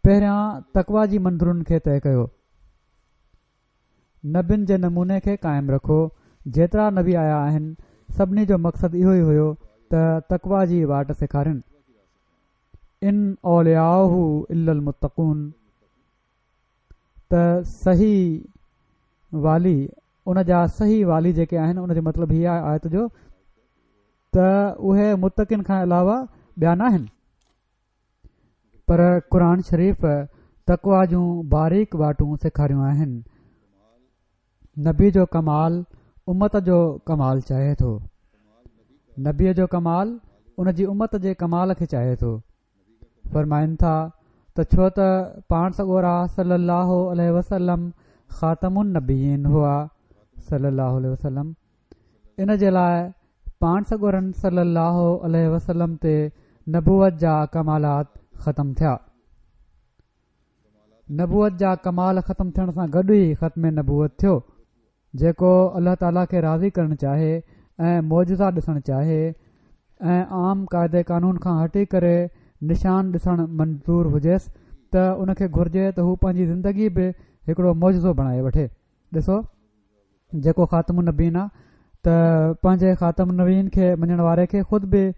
پهريان تقويٰ جي منزلن کي طئي ڪيو. نبين جي نموني کي قائم رکو. جيترا نبي آيا آهن، سڀني جو مقصد اهو ئي هيو ته تقويٰ جي واٽ سيکارين. ان اولياؤه الا المتقون ته صحيح والي ان جا صحيح والي جيڪي آهن ان جو مطلب هي آهي آيت جو ته اهي متقين کان علاوه ٻيا ناهن. پر قرآن شريف تقويٰ جون باريڪ واٽون سيکاريون آهن. نبي جو ڪمال امت جو ڪمال چاهي ٿو. نبي جو ڪمال ان جي امت جي ڪمال کي چاهي ٿو. فرمائن ٿا ته ڇو ته پاڻ سڳورا صلي الله عليه وسلم خاتم النبيين هئا صلي الله عليه وسلم ان جي لاء پاڻ سڳورن صلّي اللّٰه عليه وسلّم تي نبوت جا ڪمالات ختم ٿيا. نبوت جا ڪمال ختم ٿيڻ سان گڏ ئي ختم نبوت ٿيو. جيڪو الله تعاليٰ کي راضي ڪرڻ چاهي ۽ معجزا ڏسڻ چاهي ۽ عام قاعدي قانون کان هٽي ڪري نشان ڏسڻ منظور هجيس ته ان کي گهرجي ته هو پنهنجي زندگي به هڪڙو معجزو بڻائي وٺي. ڏسو جيڪو خاتم النبيين آ ته پنهنجي خاتم النبيين کي مڃڻ واري کي خود به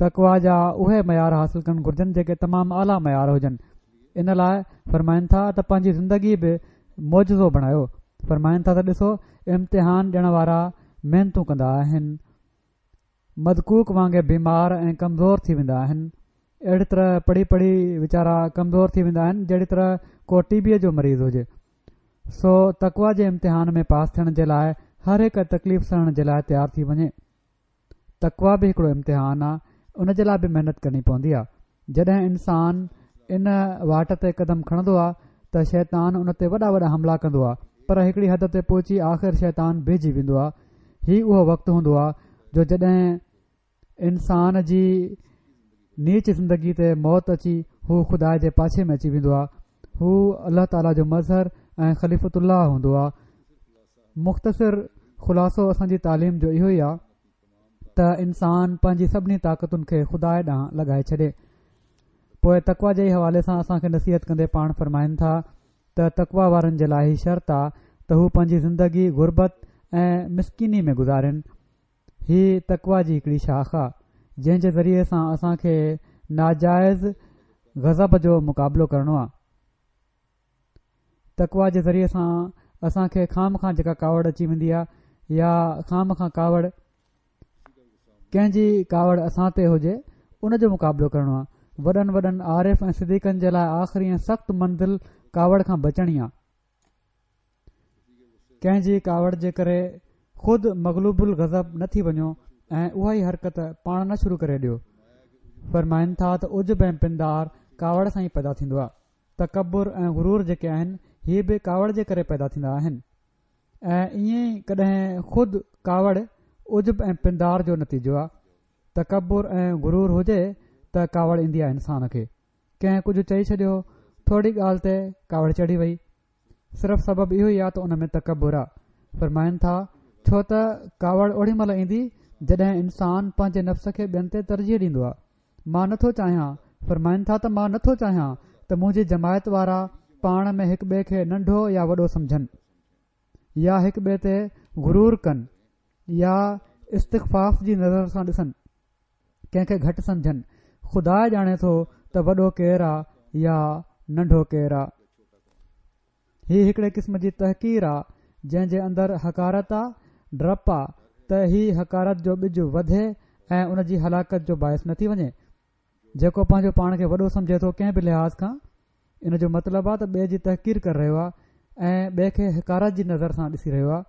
تقوا جا اهي معيار حاصل ڪرڻ گهرجن جيڪي تمام اعليٰ معيار هجن ان لاء فرمائن ٿا ته پنهنجي زندگي به معجزو بڻايو فرمائن ٿا ته ڏسو امتحان ڏيڻ وارا محنتون ڪندا آهن مدقوق وانگي بيمار ۽ ڪمزور ٿي ويندا آهن. اهڙي طرح پڙهي پڙهي ويچارا ڪمزور ٿي ويندا آهن جهڙي طرح ڪو ٽي بيء جو مريض هجي. سو تقويٰ جي امتحان ۾ پاس ٿيڻ جي لاء هر هڪ تڪليف سهڻ جي لاء تيار ٿي وڃي. تقويٰ به هڪڙو امتحان آ ان جي لاء به محنت ڪرڻي پوندي آ. جڏهن انسان ان واٽ تي قدم کڻندو آ ته شيطان ان تي وڏا وڏا حملا ڪندو آ پر هڪڙي حد تي پهچي آخر شيطان بيهجي ويندو آ. هي اهو وقت هوندو آ جو جڏهن انسان جي نيچ زندگي تي موت اچي هو خدا جي پاڇي ۾ اچي ويندو آ. هو الله تعاليٰ جو مظهر ۽ خليفة الله هوندو آ. مختصر خلاصو اسان جي تعليم جو اهو ئي آ ته انسان پنهنجي سڀني طاقتن کي خدا ڏانهن لڳائي ڇڏي. پوء تقويٰ جي حوالي سان اسان کي نصيحت ڪندي پاڻ فرمائن ٿا ته تقويٰ وارن جي لاء هي شرط آ ته هو پنهنجي زندگي غربت ۽ مسڪيني ۾ گذارين. هي تقويٰ جي هڪڙي شاخ آ، جنهن جي ذريعي سان اسان کي ناجائز غضب جو مقابلو ڪرڻو آ. تقويٰ جي ذريعي سان اسان کي خوامخواه جيڪا ڪاوڙ اچي ويندي آ يا خوامخواه ڪاوڙ ڪنهن جي ڪاوڙ اسان تي هجي ان جو مقابلو ڪرڻو آ. وڏن وڏن عارف ۽ صديقن جي لاء آخري ۽ سخت منزل ڪاوڙ کان بچڻ ئي آ. ڪنهن جي ڪاوڙ جي ڪري خود مغلوب الغضب نه ٿي وڃو ۽ اها ئي حرڪت پاڻ نه شروع ڪري ڏيو. فرمائن ٿا ته عجب ۽ پندار ڪاوڙ سان ئي پيدا ٿيندو آ. تڪبر ۽ غرور جيڪي آهن هي به ڪاوڙ جي ڪري پيدا ٿيندا آهن ۽ ائين ئي ڪڏهن خود ڪاوڙ عجب ۽ پندار جو نتيجو آ. تڪبر ۽ غرور هجي ته ڪاوڙ ايندي آ انسان کي. ڪنهن ڪجهه چئي ڇڏيو، ٿورڙي ڳالهه تي ڪاوڙ چڙهي وئي. صرف سبب اهو ئي آ ته ان ۾ تڪبر آ. فرمائن ٿا، ڇو ته ڪاوڙ اوڏي مهل ايندي جڏهن انسان پنهنجي نفس کي ٻين تي ترجيح ڏيندو آ. مان نه ٿو چاهيان، فرمائن ٿا ته مان نه ٿو چاهيان ته منهنجي جماعت وارا پاڻ ۾ هڪ ٻئي کي ننڍو يا وڏو سمجهن يا هڪ ٻئي تي غرور ڪن يا استخفاف جي نظر سان ڏسن. ڪنهن کي گهٽ سمجهن. خدا ڄاڻي ٿو ته وڏو ڪير آ يا ننڍو ڪير آ. هي هڪڙي قسم جي تحقير آ جنهن جي اندر حقارت آ، ڊپ آ ته هي حقارت جو ٻج وڌي ۽ ان جي هلاڪت جو باعث نه ٿي وڃي. جيڪو پنهنجو پاڻ کي وڏو سمجهي ٿو ڪنهن به لحاظ کان ان جو مطلب آ ته ٻئي جي تحقير ڪري رهيو آ ۽ ٻئي کي حقارت جي نظر سان ڏسي رهيو آ.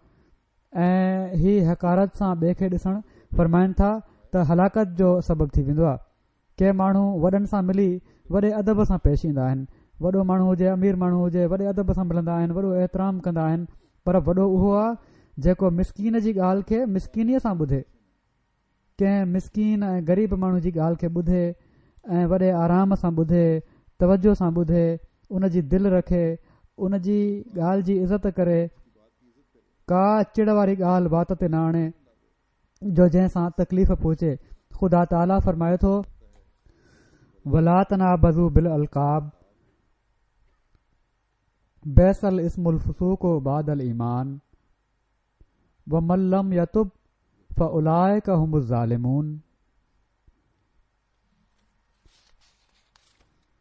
۽ هي حقارت سان ٻئي کي ڏسڻ فرمائن ٿا ته هلاڪت جو سبب ٿي ويندو آهي. ڪي ماڻهو وڏن سان ملي وڏي ادب سان پيش ايندا آهن. وڏو ماڻهو هجي امير ماڻهو هجي وڏي ادب سان ملندا آهن وڏو احترام ڪندا آهن پر وڏو اهو آهي جيڪو مسڪين جي ڳالهه کي مسڪينيء سان ٻڌي. ڪنهن مسڪين ۽ غريب ماڻهو جي ڳالهه کي ٻڌي ۽ وڏي آرام سان ٻڌي، توجه سان ٻڌي، ان جي دل رکي، ان جي ڳالهه جي عزت ڪري، ڪا چڙ واري ڳالهه وات تي نه آڻي جو جنهن سان تڪليف پهچي. خدا تعاليٰ فرمائي ٿو. ولا تنابزوا بالالقاب بئس الاسم الفسوق بعد الايمان. ومن لم يتب فاولئک هم الظالمون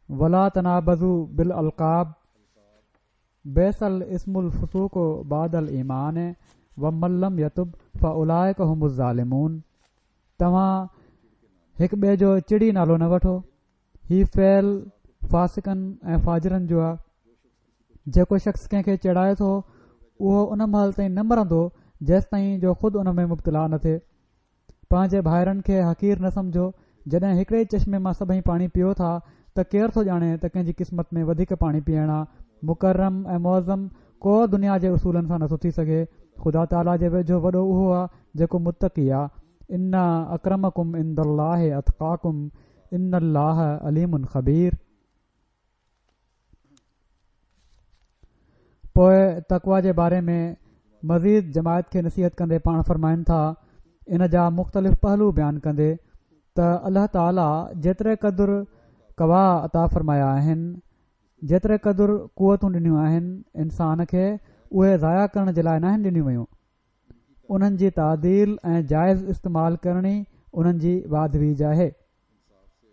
ولا تنابزوا بالالقاب بئس الاسم الفسوق بعد الايمان ومن لم يتب فاولئک هم الظالمون توهان هڪ ٻئي جو چڙي نالو نه وٺو هي فعل فاسقن ۽ فاجرن جو آهي. جيڪو شخص ڪنهن کي چيڙائي ٿو اهو ان مهل تائين نه مرندو جيستائين جو خود ان ۾ مبتلا نه ٿئي. پنهنجي ڀائرن کي حقير نه سمجهو، جڏهن هڪڙي ئي چشمي مان سڀئي پاڻي پيئو ٿا ته ڪير ٿو ڄاڻي ته ڪنهن جي قسمت ۾ وڌيڪ پاڻي پيئڻ آ. مڪرم ۽ معظم ڪو دنيا جي اصولن سان نٿو ٿي سگهي. خدا تعاليٰ جي ويجهو وڏو اهو آ جيڪو متقي آ. ان اڪرمڪم عند الله اتقاڪم ان الله عليم خبير. پوء تقويٰ جي باري ۾ مزيد جماعت کي نصيحت ڪندي پاڻ فرمائن ٿا، ان جا مختلف پهلو بيان ڪندي ته الله تعاليٰ جيتري قدر قويٰ عطا فرمايا آهن، جيتري قدر قوتون ڏنيون آهن انسان کي اهي ضايع ڪرڻ جي لاء ناهن ڏنيون ويون. انهن جي تعديل ۽ جائز استعمال ڪرڻ ئي انهن جي واڌ ويجهه آهي.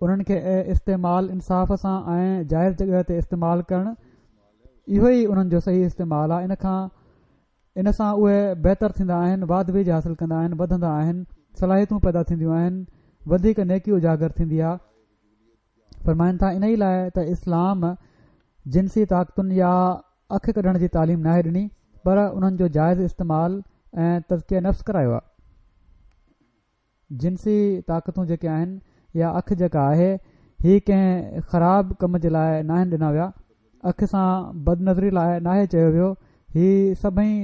انهن کي استعمال انصاف سان ۽ جائز جڳهه تي استعمال ڪرڻ اهو ئي انهن جو صحيح استعمال آهي ان کان ان سان اهي بهتر ٿيندا آهن واڌ ويجهه حاصل ڪندا آهن وڌندا آهن صلاحيتون پيدا ٿينديون آهن وڌيڪ نيڪي اجاگر ٿيندي آهي فرمائن ٿا انهي لاء ته اسلام جنسي طاقتن يا اک ڪڍڻ جي تعليم ناهي ڏني پر انهن جو جائز استعمال ۽ تزڪيه نفس ڪرايو آهي. جنسي طاقتون جيڪي آهن يا اک جيڪا آهي هي ڪنهن خراب ڪم جي لاء ناهن ڏنا ويا اک سان بدنظري لاء ناهي چيو ويو هي سڀئي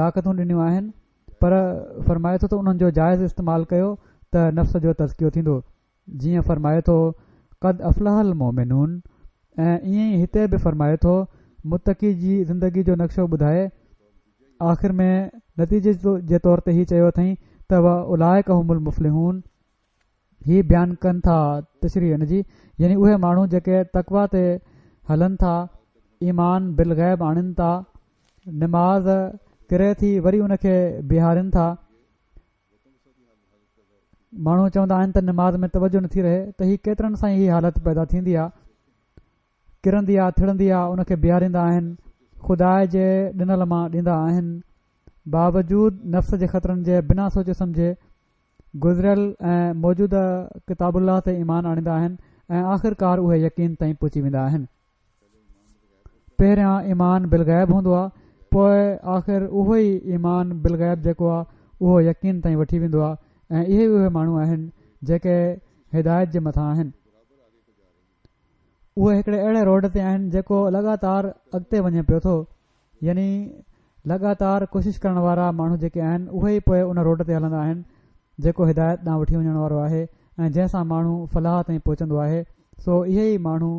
طاقتون ڏنيون آهن پر فرمائي ٿو ته انهن جو جائز استعمال ڪيو ته نفس جو تزڪيو ٿيندو جيئن فرمائي ٿو قد افلح المومنون ۽ ائين ئي هتي به فرمائي ٿو متقي جي زندگي جو نقشو ٻڌائي آخر ۾ نتيجي جي طور تي هي چيو اٿئين ته واولئک هم المفلحون هي بيان ڪن ٿا تشريح ان جي يعني اهي ماڻهو جيڪي تقويٰ تي هلن ٿا ايمان بالغيب آڻين ٿا. نماز ڪري ٿي وري ان کي بيهارين ٿا. ماڻهو چوندا آهن ته نماز ۾ توجه نٿي رهي ته هي ڪيترن سان ئي هي حالت پيدا ٿيندي آ. ڪرندي آ ٿڙندي آ ان کي بيهاريندا آهن خدا جي ڏنل مان ڏيندا آهن باوجود نفس جي خطرن جي بنا سوچي سمجهي گذريل ۽ موجوده ڪتاب الله تي ايمان آڻيندا آهن ۽ آخرڪار اهي يقين تائين پهچي ويندا آهن. پهريان ايمان بالغيب هوندو آهي پوء آخر اهو ئي ايمان بالغيب جيڪو آهي اهو يقين تائين وٺي ويندو آهي ۽ اهي ئي اهي ماڻهو آهن جيڪي هدايت جي مٿان آهن. اهي هڪڙي اهڙي روڊ تي آهن جيڪو لڳاتار اڳتي وڃي پيو ٿو يعني لڳاتار ڪوشش ڪرڻ وارا ماڻهو جيڪي آهن اهي ئي پوء ان روڊ تي هلندا آهن جيڪو هدايت ڏانهن وٺي وڃڻ وارو آهي ۽ جنهن سان ماڻهو فلاح تائين پهچندو آهي سو اهي ئي ماڻهو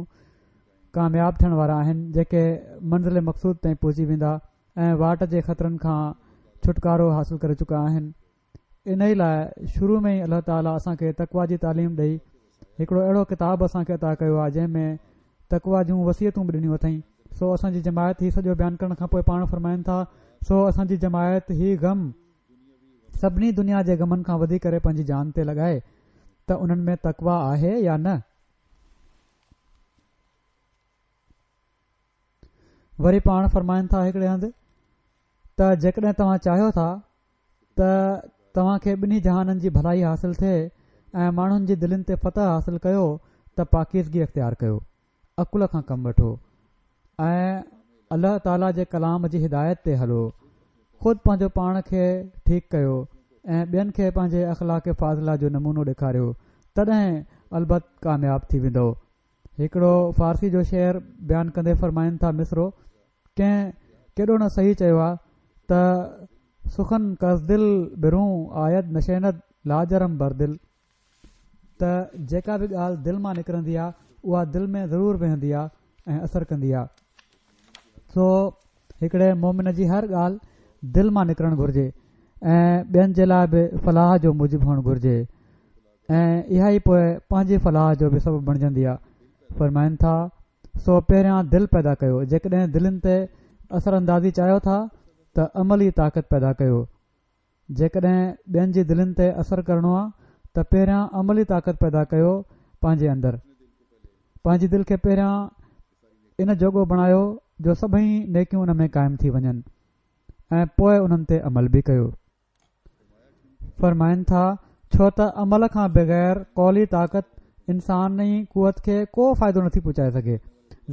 ڪامياب ٿيڻ وارا آهن جيڪي منزل مقصود تائين پهچي ويندا ۽ واٽ جي خطرن کان ڇوٽڪارو حاصل ڪري چڪا آهن. انهيء لاء شروع ۾ ئي الله تعاليٰ اسان کي تقويٰ جي تعليم ڏئي هڪڙو اهڙو ڪتاب اسان کي عطا ڪيو آهي جنهن ۾ تقويٰ جون وصيتون به ڏنيون اٿئين سو اسان جي جماعت هي سڄو بيان ڪرڻ کان پوء پاڻ فرمائن ٿا سو اسان جي جماعت هي غم سڀني دنيا جي غمن کان وڌي ڪري پنهنجي جان تي لڳائي ته انهن ۾ تقويٰ آهي يا نه؟ وري پاڻ فرمائن ٿا هڪڙي هنڌ ته جيڪڏهن توهان چاهيو ٿا ته توهان کي ٻنهي جهانن جي ڀلائي حاصل ٿئي ۽ ماڻهن جي دلين تي فتح حاصل ڪيو ته پاڪيزگي اختيار ڪيو، عقل کان ڪم وٺو ۽ الله تعالي جي ڪلام جي هدايت تي هلو، خود پنهنجو پاڻ کي ٺيڪ ڪيو ۽ ٻين کي پنهنجي اخلاق فاضله جو نمونو ڏيکاريو تڏهن البت ڪامياب ٿي ويندؤ. هڪڙو فارسي جو شعر بيان ڪندي فرمائن ٿا مصرعو ڪنهن ڪيڏو نه صحيح چيو آ ته سخن کز دل برون آيد نشيند لاجرم بر دل ته جيڪا به ڳالهه دل مان نڪرندي آ اها دل ۾ ضرور ويهندي آ ۽ اثر ڪندي آ سو هڪڙي مومن جي هر ڳالهه دل مان نڪرڻ گهرجي ۽ ٻين جي لاء به فلاح جو موجب هئڻ گهرجي ۽ اها ئي پوء پنهنجي فلاح جو به سبب بڻجندي آ. فرمائن ٿا، سو پهريان دل پيدا ڪيو، جيڪڏهن دلين تي اثر اندازي چاهيو ٿا ته عملي طاقت پيدا ڪيو، جيڪڏهن ٻين جي دلين تي اثر ڪرڻو آ ته پهريان عملي طاقت پيدا ڪيو پنهنجي اندر پنهنجي دل کي پهريان ان جوڳو بڻايو جو سڀئي نيڪيون ان ۾ قائم ٿي وڃن ۽ پوء انهن تي عمل به ڪيو. فرمائن ٿا، ڇو ته عمل کان بغير قولي طاقت انساني قوت کي ڪو فائدو نٿي پهچائي سگهي.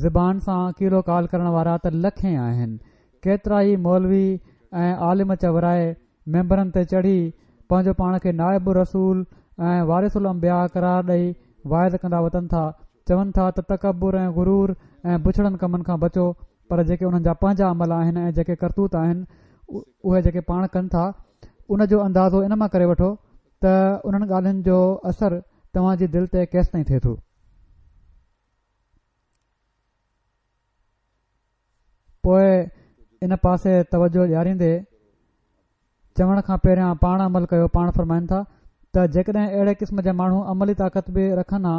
زبان سان قيل و قال ڪرڻ وارا ته لکين آهن. ڪيترائي مولوي ۽ عالم چورائي منبرن تي چڙهي پنهنجو پاڻ کي نائب الرسول ۽ وارث الانبياء قرار ڏئي واعظ ڪندا وتن ٿا. چون ٿا ته تڪبر ۽ غرور ۽ بڇڙن ڪمن کان بچو پر جيڪي انهن جا پنهنجا عمل آهن ۽ جيڪي ڪرتوت آهن اهي جيڪي پاڻ ڪن ٿا ان جو اندازو ان مان ڪري وٺو ته انهن ڳالهين جو اثر توهان جي دل تي ڪيستائين ٿئي ٿو. پوء ان پاسي توجه ڏياريندي چوڻ کان پهريان پاڻ عمل ڪيو پاڻ فرمائن ٿا ته جيڪڏهن اهڙي قسم جا ماڻهو عملي طاقت به رکن ها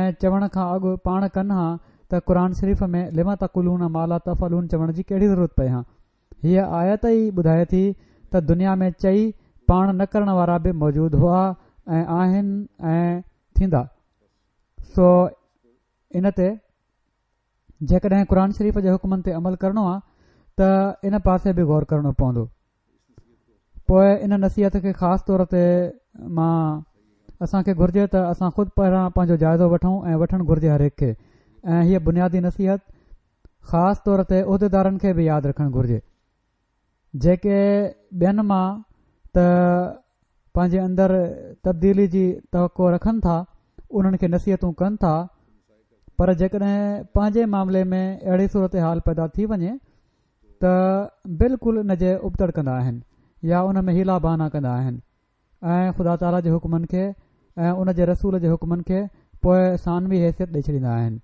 ۽ چوڻ کان اڳ پاڻ ڪن ها ته قرآن شريف ۾ لم تقولون ما لا تفعلون چوڻ جي ڪهڙي ضرورت پئي ها هيء آيت ئي ٻڌائي ٿي ته دنيا ۾ چئي پاڻ نه ڪرڻ وارا به موجود هئا ۽ آهن ۽ ٿيندا سو ان تي جيڪڏهن قرآن شريف جي حڪمن تي عمل ڪرڻو آ ته ان پاسي به غور ڪرڻو پوندو پوء ان نصيحت کي خاص طور تي مان اسان کي گهرجي ته اسان خود پهريان پنهنجو جائزو وٺون ۽ وٺڻ گهرجي هر هڪ کي ۽ هيء بنيادي نصيحت خاص طور تي عهديدارن کي به ياد رکڻ گهرجي جيڪي ٻين مان ته پنهنجي اندر تبديلي جي توقع رکن ٿا انهن کي نصيحتون ڪن ٿا پر جيڪڏهن پنهنجي معاملي ۾ اهڙي صورتحال پيدا ٿي وڃي ته بلڪل ان جي ابتڙ ڪندا آهن يا ان ۾ حيلا بهانا ڪندا آهن ۽ خدا تعاليٰ جي حڪمن کي ۽ ان جي رسول جي حڪمن کي پوء ثانوي حيثيت ڏئي ڇڏيندا آهن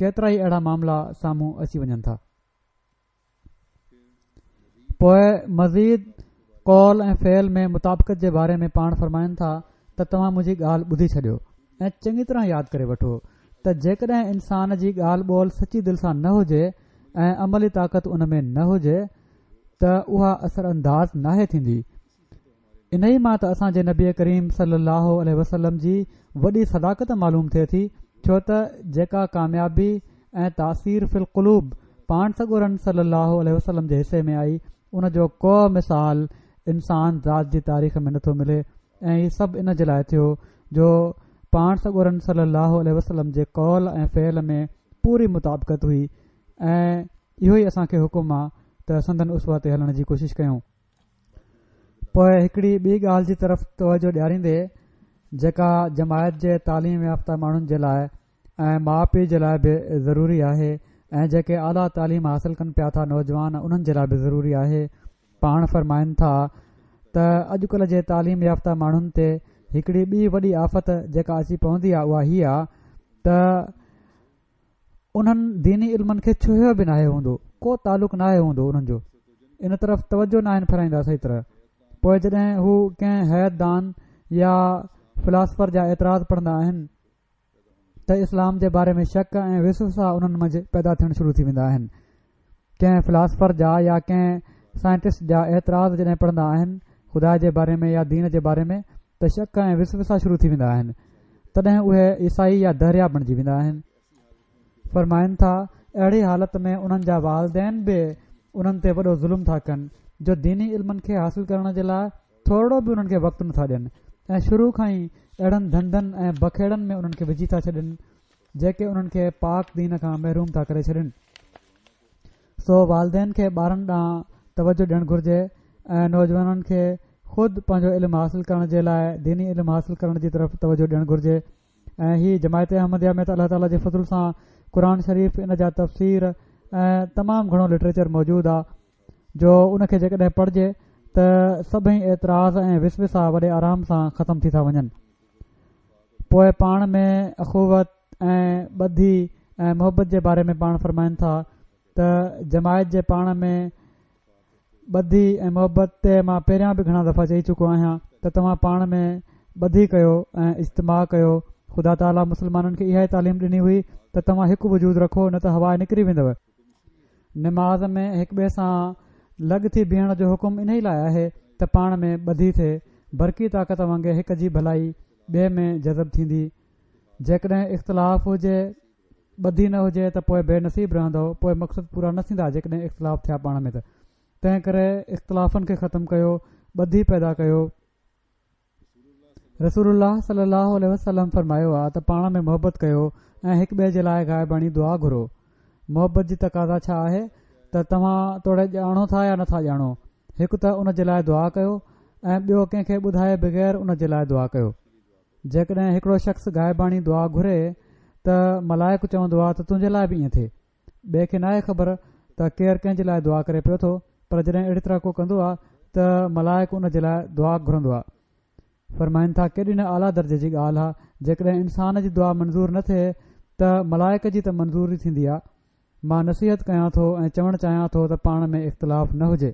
ڪيترائي اهڙا معاملا سامهون اچي وڃن ٿا. پوء مزيد قول ۽ فعل ۾ مطابقت جي باري ۾ پاڻ فرمائن ٿا ته توهان منهنجي ڳالهه ٻڌي ڇڏيو ۽ چڱي طرح ياد ڪري وٺو ته جيڪڏهن انسان جي ڳالهه ٻولهه سچي دل سان نه هجي ۽ عملي طاقت ان ۾ نه هجي ته اها اثر انداز ناهي ٿيندي. انهي مان ته اسان جي نبي ڪريم صلي الله عليه وسلم جي وڏي صداقت معلوم ٿئي ٿي ڇو ته جيڪا ڪاميابي ۽ تاثير في القلوب پاڻ سڳورن صلي الله عليه وسلم جي حصي ۾ آئي ان جو ڪو مثال انسان ذات جي تاريخ ۾ نٿو ملي ۽ هي سڀ ان جي لاء ٿيو جو پاڻ سڳورن صلي الله عليه وسلم جي قول ۽ فعل ۾ پوري مطابقت هئي ۽ اهو ئي اسان کي حڪم آ ته سندن اسوه تي هلڻ جي ڪوشش ڪيون. پوء هڪڙي ٻي ڳالهه جي طرف توجه ڏياريندي جيڪا جماعت جي تعليم يافته ماڻهن جي لاء ۽ ماء پيء جي لاء به ضروري آهي ۽ جيڪي اعليٰ تعليم حاصل ڪن پيا ٿا نوجوان انهن جي لاء به ضروري آهي پاڻ فرمائن ٿا ته اڄڪلهه جي تعليم يافته ماڻهن تي هڪڙي ٻي وڏي آفت جيڪا اچي پوندي آهي اها هي آهي ته انهن ديني علمن کي ڇهيو به ناهي هوندو، ڪو تعلق ناهي هوندو انهن جو، ان طرف توجه ناهن ڦيرائيندا صحيح طرح، پوء جڏهن هو ڪنهن هيئت دان يا فلاسفر جا اعتراض پڙهندا آهن ته اسلام جي باري ۾ شڪ ۽ وسوسا انهن منجهه پيدا ٿيڻ شروع ٿي ويندا آهن. ڪنهن فلاسفر جا يا ڪنهن سائنٽسٽ جا اعتراض جڏهن پڙهندا آهن خدا جي باري ۾ يا دين جي باري ۾ ته شڪ ۽ وسوسا شروع ٿي ويندا آهن تڏهن اهي عيسائي يا دهريا بڻجي ويندا آهن. فرمائن ٿا اهڙي حالت ۾ انهن جا والدين به انهن تي وڏو ظلم ٿا ڪن جو ديني علمن کي حاصل ڪرڻ جي لاء ٿورڙو به انهن کي وقت نٿا ڏين ۽ شروع کان ئي اهڙن ڌنڌن ۽ بکيڙن ۾ انهن کي وجهي ٿا ڇڏين جيڪي انهن کي پاڪ دين کان محروم ٿا ڪري ڇڏين. سو والدين کي ٻارن ڏانهن توجه ڏيڻ گهرجي ۽ نوجوانن کي خود پنهنجو علم حاصل ڪرڻ جي لاء ديني علم حاصل ڪرڻ جي طرف توجه ڏيڻ گهرجي ۽ هي جماعت احمديه ۾ ته الله تعالي جي فضل سان قرآن شريف ان جا تفسير ۽ تمام گهڻو لٽريچر موجود آ جو ان کي جيڪڏهن پڙهجي ته سڀئي اعتراض ۽ وسوسا وڏي آرام سان ختم ٿي ٿا وڃن. پوء پاڻ ۾ اخوت ۽ ٻڌي ۽ محبت جي باري ۾ پاڻ فرمائن ٿا ته جماعت جي پاڻ ۾ ٻڌي ۽ محبت تي مان پهريان به گهڻا دفعا چئي چڪو آهيان ته توهان پاڻ ۾ ٻڌي ڪيو ۽ اجتماع ڪيو خدا تعاليٰ مسلمانن کي اها ئي تعليم ڏني هئي ته توهان هڪ وجود رکو نه ته هوا نڪري ويندؤ. نماز ۾ هڪ ٻئي سان لڳ ٿي بيهڻ جو حڪم انهي لاء آهي ته پاڻ ۾ ٻڌي ٿئي، برقي طاقت وانگي هڪ جي ڀلائي ٻئي ۾ جذب ٿيندي. جيڪڏهن اختلاف هجي، ٻڌي نه هجي ته پوء بي نصيب رهندؤ، پوء مقصد پورا نه ٿيندا جيڪڏهن اختلاف ٿيا پاڻ ۾ ته. تنهنڪري اختلافن کي ختم ڪيو، ٻڌي پيدا ڪيو. رسول الله صلي الله عليه وسلم فرمايو آ ته پاڻ ۾ محبت ڪيو ۽ هڪ ٻئي جي لاء غائباڻي دعا گهرو. محبت جي تقاضا ڇا آهي ته توهان توڙي ڄاڻو ٿا يا نٿا ڄاڻو هڪ ته ان جي لاء دعا ڪيو ۽ ٻيو ڪنهن کي ٻڌائي بغير ان جي لاء دعا ڪيو. جيڪڏهن هڪڙو شخص غائباڻي دعا گهري ته ملائڪ چوندو آ ته تنهنجي لاء به ائين ٿئي. ٻئي کي ناهي خبر ته ڪير ڪنهن جي لاء دعا ڪري پيو ٿو پر جڏهن اهڙي طرح ڪو ڪندو آهي ته ملائڪ ان جي لاء دعا گهرندو آهي. فرمائن ٿا ڪيڏي نه اعليٰ درجي جي ڳالهه آهي جيڪڏهن انسان جي دعا منظور نه ٿئي ته ملائڪ جي ته منظور ٿيندي آهي. مان نصيحت ڪيان ٿو ۽ چوڻ چاهيان ٿو ته پاڻ ۾ اختلاف نه هجي.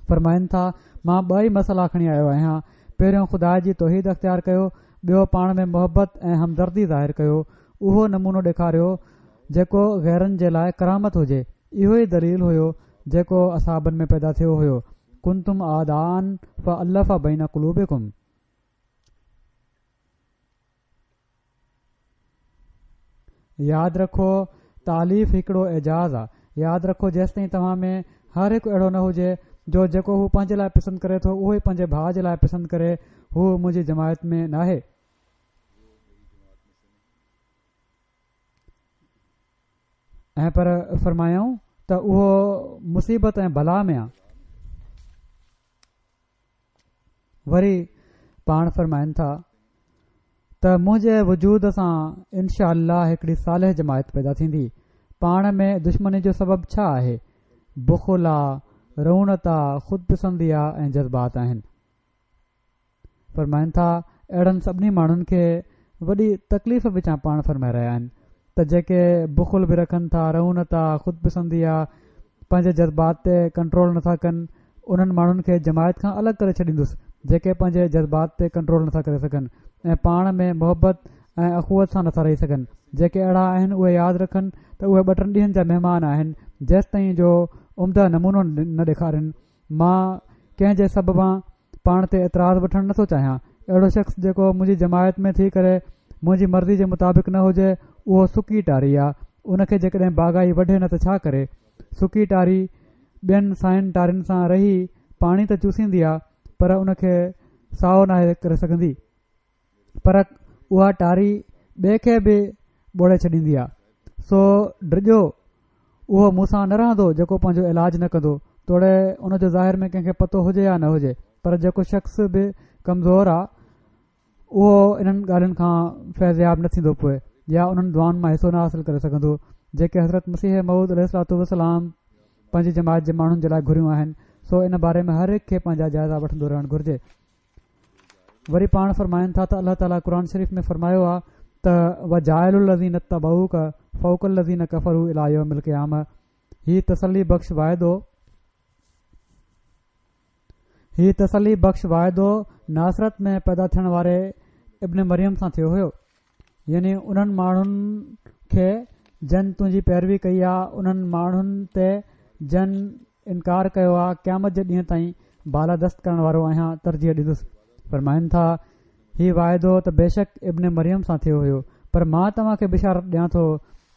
فرمائن ٿا، مان ٻه ئي مسئلا کڻي آيو آهيان، پهريون خدا جي توحيد اختيار ڪيو، ٻيو پاڻ ۾ محبت ۽ همدردي ظاهر ڪيو، اهو نمونو ڏيکاريو جيڪو غيرن جي لاء ڪرامت هجي، اهو ئي دليل هيو جيڪو اصحابن ۾ پيدا ٿيو هيو، ڪنتم اعداء فالف بين قلوبڪم. ياد رکو تاليف هڪڙو اعجاز آ. ياد رکو جيستائين توهان ۾ هر هڪ اهڙو نه هجي جو جيڪو هو پنهنجي لاء پسند ڪري ٿو اهو ئي پنهنجي ڀاء جي لاء پسند ڪري هو منهنجي جماعت ۾ ناهي. ۽ پر فرمايائون ته اهو مصيبت ۽ بلا ۾ آ. وري پاڻ فرمائن ٿا ته منهنجي وجود سان انشاء الله هڪڙي صالح جماعت پيدا ٿيندي. پاڻ ۾ دشمني جو سبب ڇا آهي؟ بخل آ، رعونت آ، خود پسندي آ ۽ جذبات آهن. فرمائن ٿا اهڙن سڀني ماڻهن کي وڏي تڪليف وچان پاڻ فرمائي رهيا آهن ته جيڪي بخل به رکن ٿا، رعونت آ، خود پسندي آ، پنهنجي جذبات تي ڪنٽرول نٿا ڪن، انهن ماڻهن کي جماعت کان الڳ ڪري ڇڏيندس، جيڪي پنهنجي جذبات تي ڪنٽرول نٿا ڪري سگهن ۽ پاڻ ۾ محبت ۽ اخوت سان نٿا رهي سگهن. جيڪي اهڙا آهن اهي ياد رکن ته اهي ٻه ٽن ڏينهن جا مهمان آهن جيستائين جو عمده نمونو نه ڏيکارين. مان ڪنهن جي سببان پاڻ تي اعتراض وٺڻ نٿو چاهيان. اهڙو شخص جيڪو منهنجي جماعت ۾ ٿي ڪري منهنجي مرضي جي مطابق نه هجي اهو سڪي ٽاري آ. ان کي جيڪڏهن باغائي وڍي نه ته ڇا ڪري؟ سڪي ٽاري ٻين ساين ٽارين سان رهي پاڻي ته چوسيندي آ پر ان کي سائو ناهي ڪري سگهندي. پر اها ٽاري ٻئي کي به ٻوڙي ڇڏيندي آ. سو ڊڄو اهو مون سان نه رهندو جيڪو پنهنجو علاج نه ڪندو توڙي ان جو ظاهر ۾ ڪنهن کي پتو هجي يا نه هجي پر جيڪو شخص به ڪمزور آ اهو انهن ڳالهين کان فيضياب نه ٿيندو پوء يا انهن دعائن مان حصو نه حاصل ڪري سگهندو جيڪي حضرت مسيح موعود عليه الصلوة والسلام پنهنجي جماعت جي ماڻهن جي لاء گهريون آهن سو ان باري ۾ هر هڪ کي پنهنجا جائزا وٺندو رهڻ گهرجي. وري پاڻ فرمائن ٿا ته الله تعاليٰ قرآن شريف ۾ فرمايو آهي ته وجاعل الذين اتبعوڪ فوق الذين ڪفروا الي يوم القيامة هي تسلي بخش واعدو هي تسلي بخش واعدو ناصرت ۾ پيدا ٿيڻ واري ابن مريم سان ٿيو هيو يعني انهن ماڻهن کي جن تنهنجي پيروي ڪئي آ انهن ماڻهن تي جن انڪار ڪيو آ قيامت جي ڏينهن تائين بالادست ڪرڻ وارو آهيان ترجيح ڏيندس. فرمائن ٿا، هي واعدو ته بيشڪ ابن مريم سان ٿيو هيو پر مان توهان کي بشارت ڏيان ٿو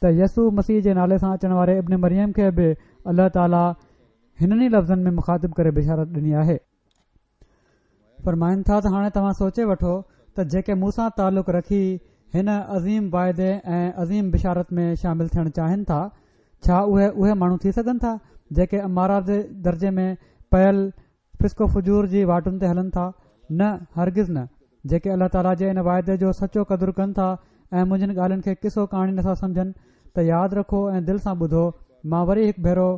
ته يسوع مسيح جي نالي سان اچڻ واري ابن مريم کي به الله تعالي هنن ئي لفظن ۾ مخاطب ڪري بشارت ڏني آهي. فرمائن ٿا ته هاڻي توهان سوچي وٺو ته جيڪي مون سان تعلق رکي هن عظيم واعدي ۽ عظيم بشارت ۾ شامل ٿيڻ چاهين ٿا، ڇا اهي اهي ماڻهو ٿي سگهن ٿا جيڪي اماره جي درجي ۾ پيل فسق و فجور جي واٽن تي هلن ٿا؟ نه، هرگز نه. جيڪي الله تعاليٰ جي ان واعدي جو سچو قدر ڪن ٿا ۽ منهنجين ڳالهين کي قصو ڪهاڻي نٿا سمجهن ته ياد رکو ۽ دل سان ٻڌو، مان وري هڪ ڀيرو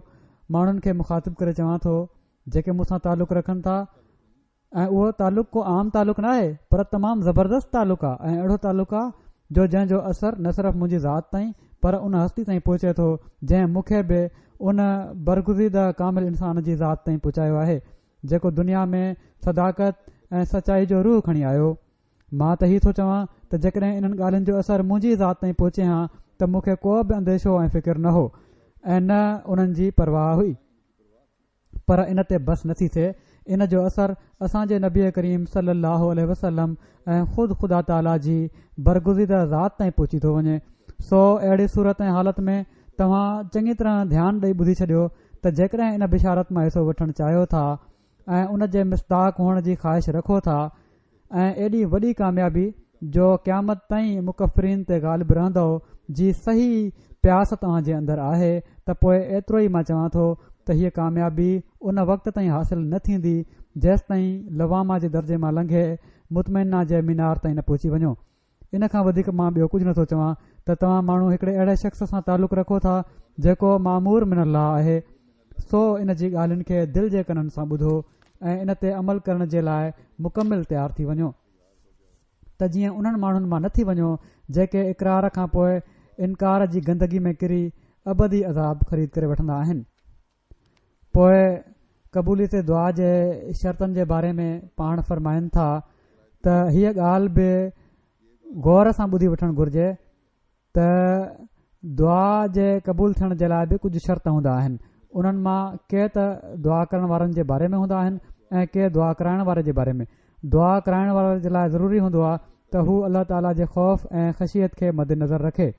ماڻهن کي مخاطب ڪري چوان ٿو جيڪي مون سان تعلق رکن ٿا ۽ اهو تعلق ڪو عام تعلق ناهي پر تمام زبردست تعلق آ ۽ اهڙو تعلق آ جو جنهن جو اثر نه صرف منهنجي ذات تائين پر ان هستي تائين پهچي ٿو جنهن مون کي به ان برگزيده ڪامل انسان جي ذات تائين پهچايو آهي جيڪو دنيا ۾ صداقت ۽ سچائي جو روح کڻي آيو. مان ته هي ٿو چوان ته جيڪڏهن انهن ڳالهين جو اثر منهنجي ذات تائين پهچي هان ته مون کي ڪو به انديشو ۽ فڪر نه هو ۽ نه انهن جي پرواهه هئي. پر ان تي بس نٿي ٿئي، ان جو اثر اسان جي نبي ڪريم صلي الله عليه وسلم ۽ خود خدا تعاليٰ جي برگزيده ذات تائين پهچي ٿو وڃي. سو اهڙي صورت ۽ حالت ۾ توهان چڱي طرح ڌيان ڏئي ٻڌي ڇڏيو ته جيڪڏهن ان بشارت مان حصو وٺڻ چاهيو ٿا ۽ ان جي مصداق هئڻ جي خواهش رکو ٿا ۽ ايڏي وڏي ڪاميابي جو قيامت تائين مڪفرين تي غالب رهندؤ جي صحيح پياس توهان جي اندر آهي ته پوء ايترو ئي مان چوان ٿو ته هيء ڪاميابي ان وقت تائين حاصل نه ٿيندي جيستائين لوامه جي درجي مان لنگهي مطمئنه جي مينار تائين نه پهچي وڃو. ان کان وڌيڪ مان ٻيو ڪجهه نٿو چوان ته توهان ماڻهو هڪڙي اهڙي شخص سان تعلق رکو ٿا جيڪو مامور من الله آهي سو ان جي ڳالهين کي دل جي ڪنن سان ٻڌو ۽ ان تي عمل ڪرڻ جي لاء مڪمل تيار ٿي وڃو ته جيئن انهن ماڻهن مان نه ٿي وڃو جيڪي اقرار کان پوء انڪار جي گندگي ۾ ڪري ابدي عذاب خريد ڪري وٺندا آهن. پوء قبوليت دعا جي شرطن جي باري ۾ پاڻ فرمائن ٿا ته هيء ڳالهه به غور سان ٻڌي وٺڻ گهرجي ته دعا جي قبول ٿيڻ جي لاء به ڪجهه شرط هوندا آهن انهن مان ڪي ته دعا ڪرڻ وارن جي باري ۾ هوندا آهن ۽ ڪي دعا ڪرائڻ واري جي باري ۾ دعا ڪرائڻ واري جي لاء ضروري هوندو آهي ته هو الله تعاليٰ جي خوف ۽ خشيت کي مدنظر رکي.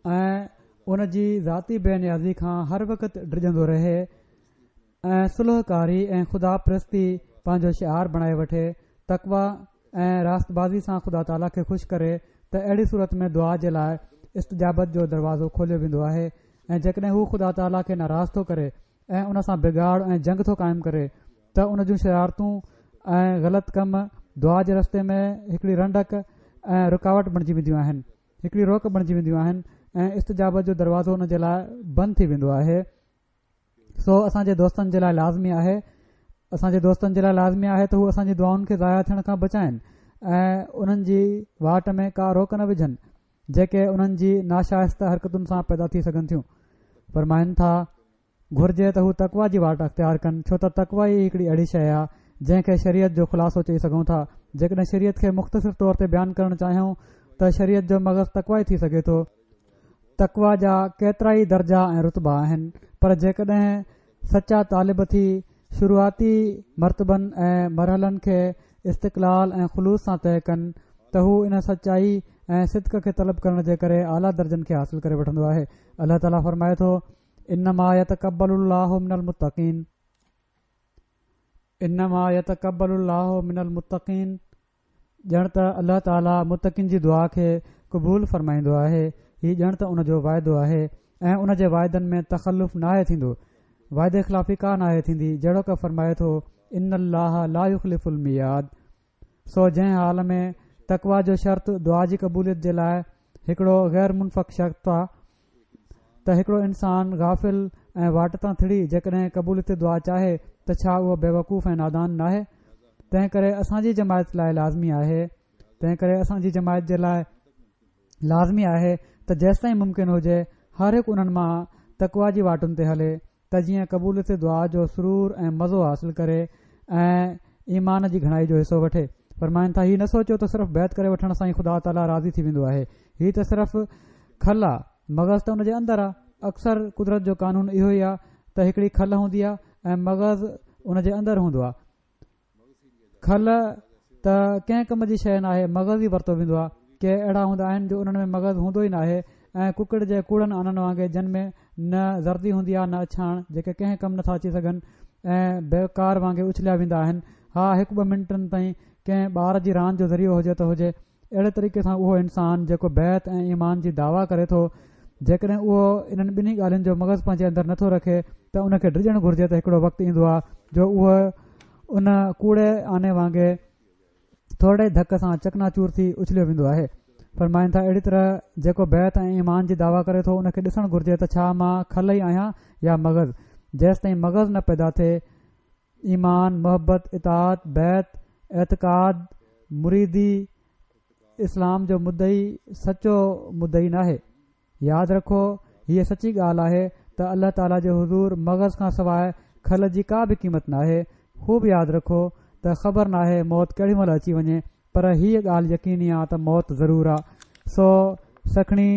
۽ ان جي ذاتي بي نيازي کان هر وقت ڊڄندو رهي ۽ صلح ڪاري ۽ خدا پرستي پنهنجو شعار بڻائي وٺي، تقويٰ ۽ راست بازي سان خدا تعاليٰ کي خوش ڪري ته اهڙي صورت ۾ دعا جي لاء استجابت جو دروازو کوليو ويندو آهي ۽ جيڪڏهن هو خدا تعاليٰ کي ناراض ٿو ڪري ۽ ان سان بگاڙ ۽ جنگ ٿو قائم ڪري ته ان جون شرارتون ۽ غلط ڪم دعا جي رستي ۾ هڪڙي رنڊڪ ۽ رڪاوٽ بڻجي وينديون آهن. هڪڙي روڪ بڻجي وينديون آهن ۽ استجابت جو دروازو ان جي لاء بند ٿي ويندو آهي سو اسان جي دوستن جي لاء لازمي آهي اسان جي دوستن جي لاء لازمي آهي ته هو اسان جي دعائن کي ضايع ٿيڻ کان بچائن ۽ انهن جي واٽ ۾ ڪا روڪ نه وجهن جيڪي انهن جي ناشائسته حرڪتن سان پيدا ٿي سگهن ٿيون فرمائن ٿا گهرجي ته هو تقويٰ جي واٽ اختيار ڪن، ڇو ته تقويٰ ئي هڪڙي اهڙي شيء آهي، جنهن کي شريعت جو خلاصو چئي سگهون ٿا. جيڪڏهن شريعت کي مختصر طور تي بيان ڪرڻ چاهيون ته شريعت جو مغز تقويٰ ئي ٿي سگهي ٿو. تقويٰ جا ڪيترائي درجا ۽ رتبا آهن، پر جيڪڏهن سچا طالب ٿي شروعاتي مرتبن ۽ مرحلن کي استقلال ۽ خلوص سان طئي ڪن ته هو ان سچائي ۽ صدق کي طلب ڪرڻ جي ڪري اعليٰ درجن کي حاصل ڪري وٺندو آهي. الله تعاليٰ فرمائي ٿو، انما يتقبل الله من المتقين. انما يتقبل الله من المتقين ڄڻ ته الله تعالي متقين جي دعا کي قبول فرمائيندو آهي هي ڄڻ ته ان جو واعدو آهي ۽ ان جي واعدن ۾ تخلف ناهي ٿيندو واعدي خلافي ڪا ناهي ٿيندي جهڙوڪ فرمائي ٿو ان الله لا يخلف الميعاد سو جنهن حال ۾ تقويٰ جو شرط دعا جي قبوليت جي لاء هڪڙو غير منفڪ شرط آ ته هڪڙو انسان غافل ۽ واٽ تان ٿڙي جيڪڏهن قبوليت دعا چاهي ته ڇا اهو بيوقوف ۽ نادان ناهي؟ تنهن ڪري اسان جي جماعت لاء لازمي آهي تنهن ڪري اسان جي جماعت جي لاء لازمي آهي ته جيستائين ممڪن هجي هر هڪ انهن مان تقويٰ جي واٽن تي هلي ته جيئن قبوليت دعا جو سرور ۽ مزو حاصل ڪري ۽ ايمان جي گهڻائي جو حصو وٺي. فرمائن ٿا، هي نه سوچيو ته صرف بيعت ڪري وٺڻ سان ئي خدا تعاليٰ راضي ٿي ويندو آهي. هي ته صرف کل آ، مغز ته ان جي اندر آ. اڪثر قدرت جو قانون اهو ئي آ ته هڪڙي کل هوندي آ ۽ مغز ان جي اندر هوندو آ. کل ته ڪنهن ڪم جي شيء ناهي، مغز ئي ورتو ويندو آهي. ڪي اهڙا هوندا آهن جو انهن ۾ مغز هوندو ئي ناهي ۽ ڪڪڙ جي ڪوڙن آنن وانگي جن ۾ نه زردي هوندي آهي نه اڇاڻ، جيڪي ڪنهن ڪم نٿا اچي سگهن ۽ بيڪار وانگي اڇليا ويندا آهن. ها هڪ ٻه منٽن تائين ڪنهن ٻار جي راند جو ذريعو هجي ته هجي. اهڙي طريقي سان اهو انسان جيڪو بيعت ۽ ايمان جي دعويٰ ڪري ٿو، جيڪڏهن اهو انهن ٻنهي ڳالهين جو مغز پنهنجي اندر نٿو رکي ته ان کي ڊڄڻ گهرجي ته هڪڙو وقت ايندو آهي جو اهو ان ڪوڙي آني وانگي ٿورڙي ڌڪ سان چڪناچور ٿي اڇليو ويندو آهي. فرمائن ٿا اهڙي طرح جيڪو بيعت ۽ ايمان جي دعويٰ ڪري ٿو ان کي ڏسڻ گهرجي ته ڇا مان کل ئي آهيان يا مغز؟ جيستائين مغز نه پيدا ٿئي ايمان، محبت، اطاعت، بيعت، اعتقاد، مريدي، اسلام جو مدعي سچو مدعي ناهي. ياد رکو هيء سچي ڳالهه آهي ته الله تعاليٰ جي حضور مغز کان سواء کل جي ڪا به قيمت ناهي. خوب ياد رکو ته خبر ناهي موت ڪهڙي مهل اچي وڃي پر هيء ڳالهه يقيني آ ته موت ضرور آ. سو سکڻي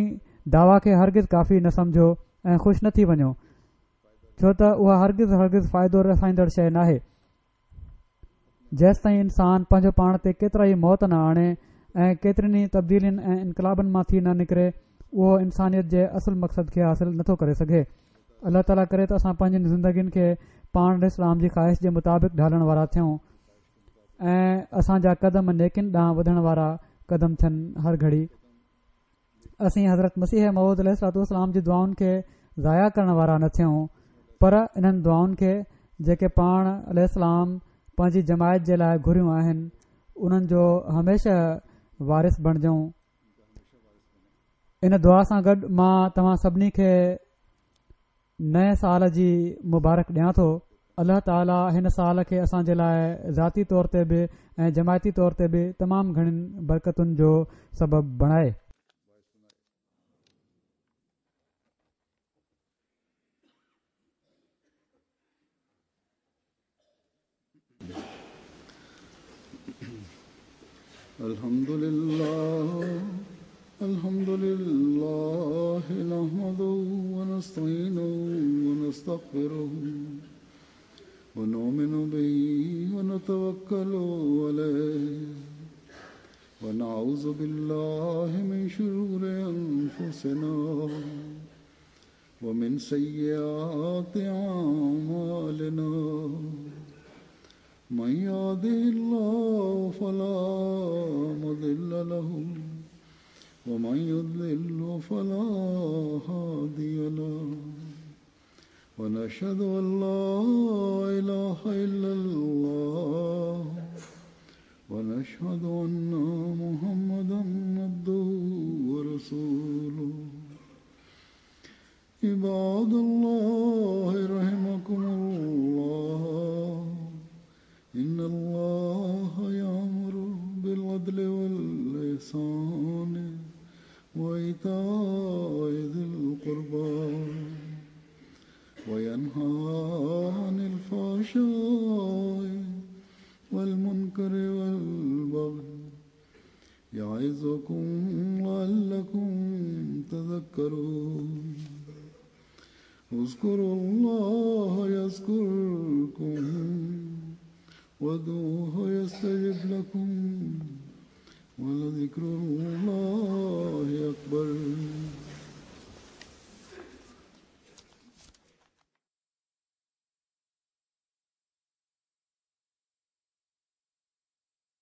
دعويٰ کي هرگز ڪافي نه سمجهو ۽ خوش نه ٿي وڃو. ڇو ته اها هرگز هرگز فائدو رسائيندڙ شيء ناهي. جيستائين انسان پنهنجو پاڻ تي ڪيترائي موت نه آڻي ۽ ڪيترين ئي تبديلين ۽ انقلابن مان ٿي نه نڪري اهو انسانيت جي اصل مقصد کي حاصل نٿو ڪري سگهي. الله تعاليٰ ڪري ته اسان پنهنجين زندگين کي پاڻ عليه السلام جي خواهش جي مطابق ڍالڻ وارا ٿيون ۽ اسان جا قدم نيڪين ڏانهن وڌڻ وارا قدم ٿين هر گهڙي. اسين حضرت مسيح موعود عليه الصلوة والسلام جي دعائن کي ضايع ڪرڻ وارا نه ٿيون پر انهن دعائن کي جيڪي پاڻ عليه السلام پنهنجي جماعت جي لاء گهريون آهن انهن جو هميشه وارث بڻجون ان دعا سان گڏ مان توهان سڀني کي نئين سال جي مبارڪ ڏيان ٿو. الله تعالي هن سال کي اسان جي لاء ذاتي طور تي به ۽ جماعتي طور تي به تمام گهڻين برڪتن جو سبب بڻائي. الحمد لله الحمد لله نحمده ونستعينه ونستغفره ونؤمن به ونتوكل عليه ونعوذ بالله من شرور أنفسنا ومن سيئات أعمالنا من يهده الله فلا مضل له ومن يضلل فلا هادي له ونشهد أن لا إله إلا الله ونشهد أن محمدا عبده ورسوله عباد الله رحمكم الله إن الله يأمر بالعدل والإحسان وإيتاء ذي القربى وينهى عن الفحشاء والمنكر والبغي يعظكم لعلكم تذكرون. اذكروا الله يذكركم وادعوه يستجب لكم ولذكر الله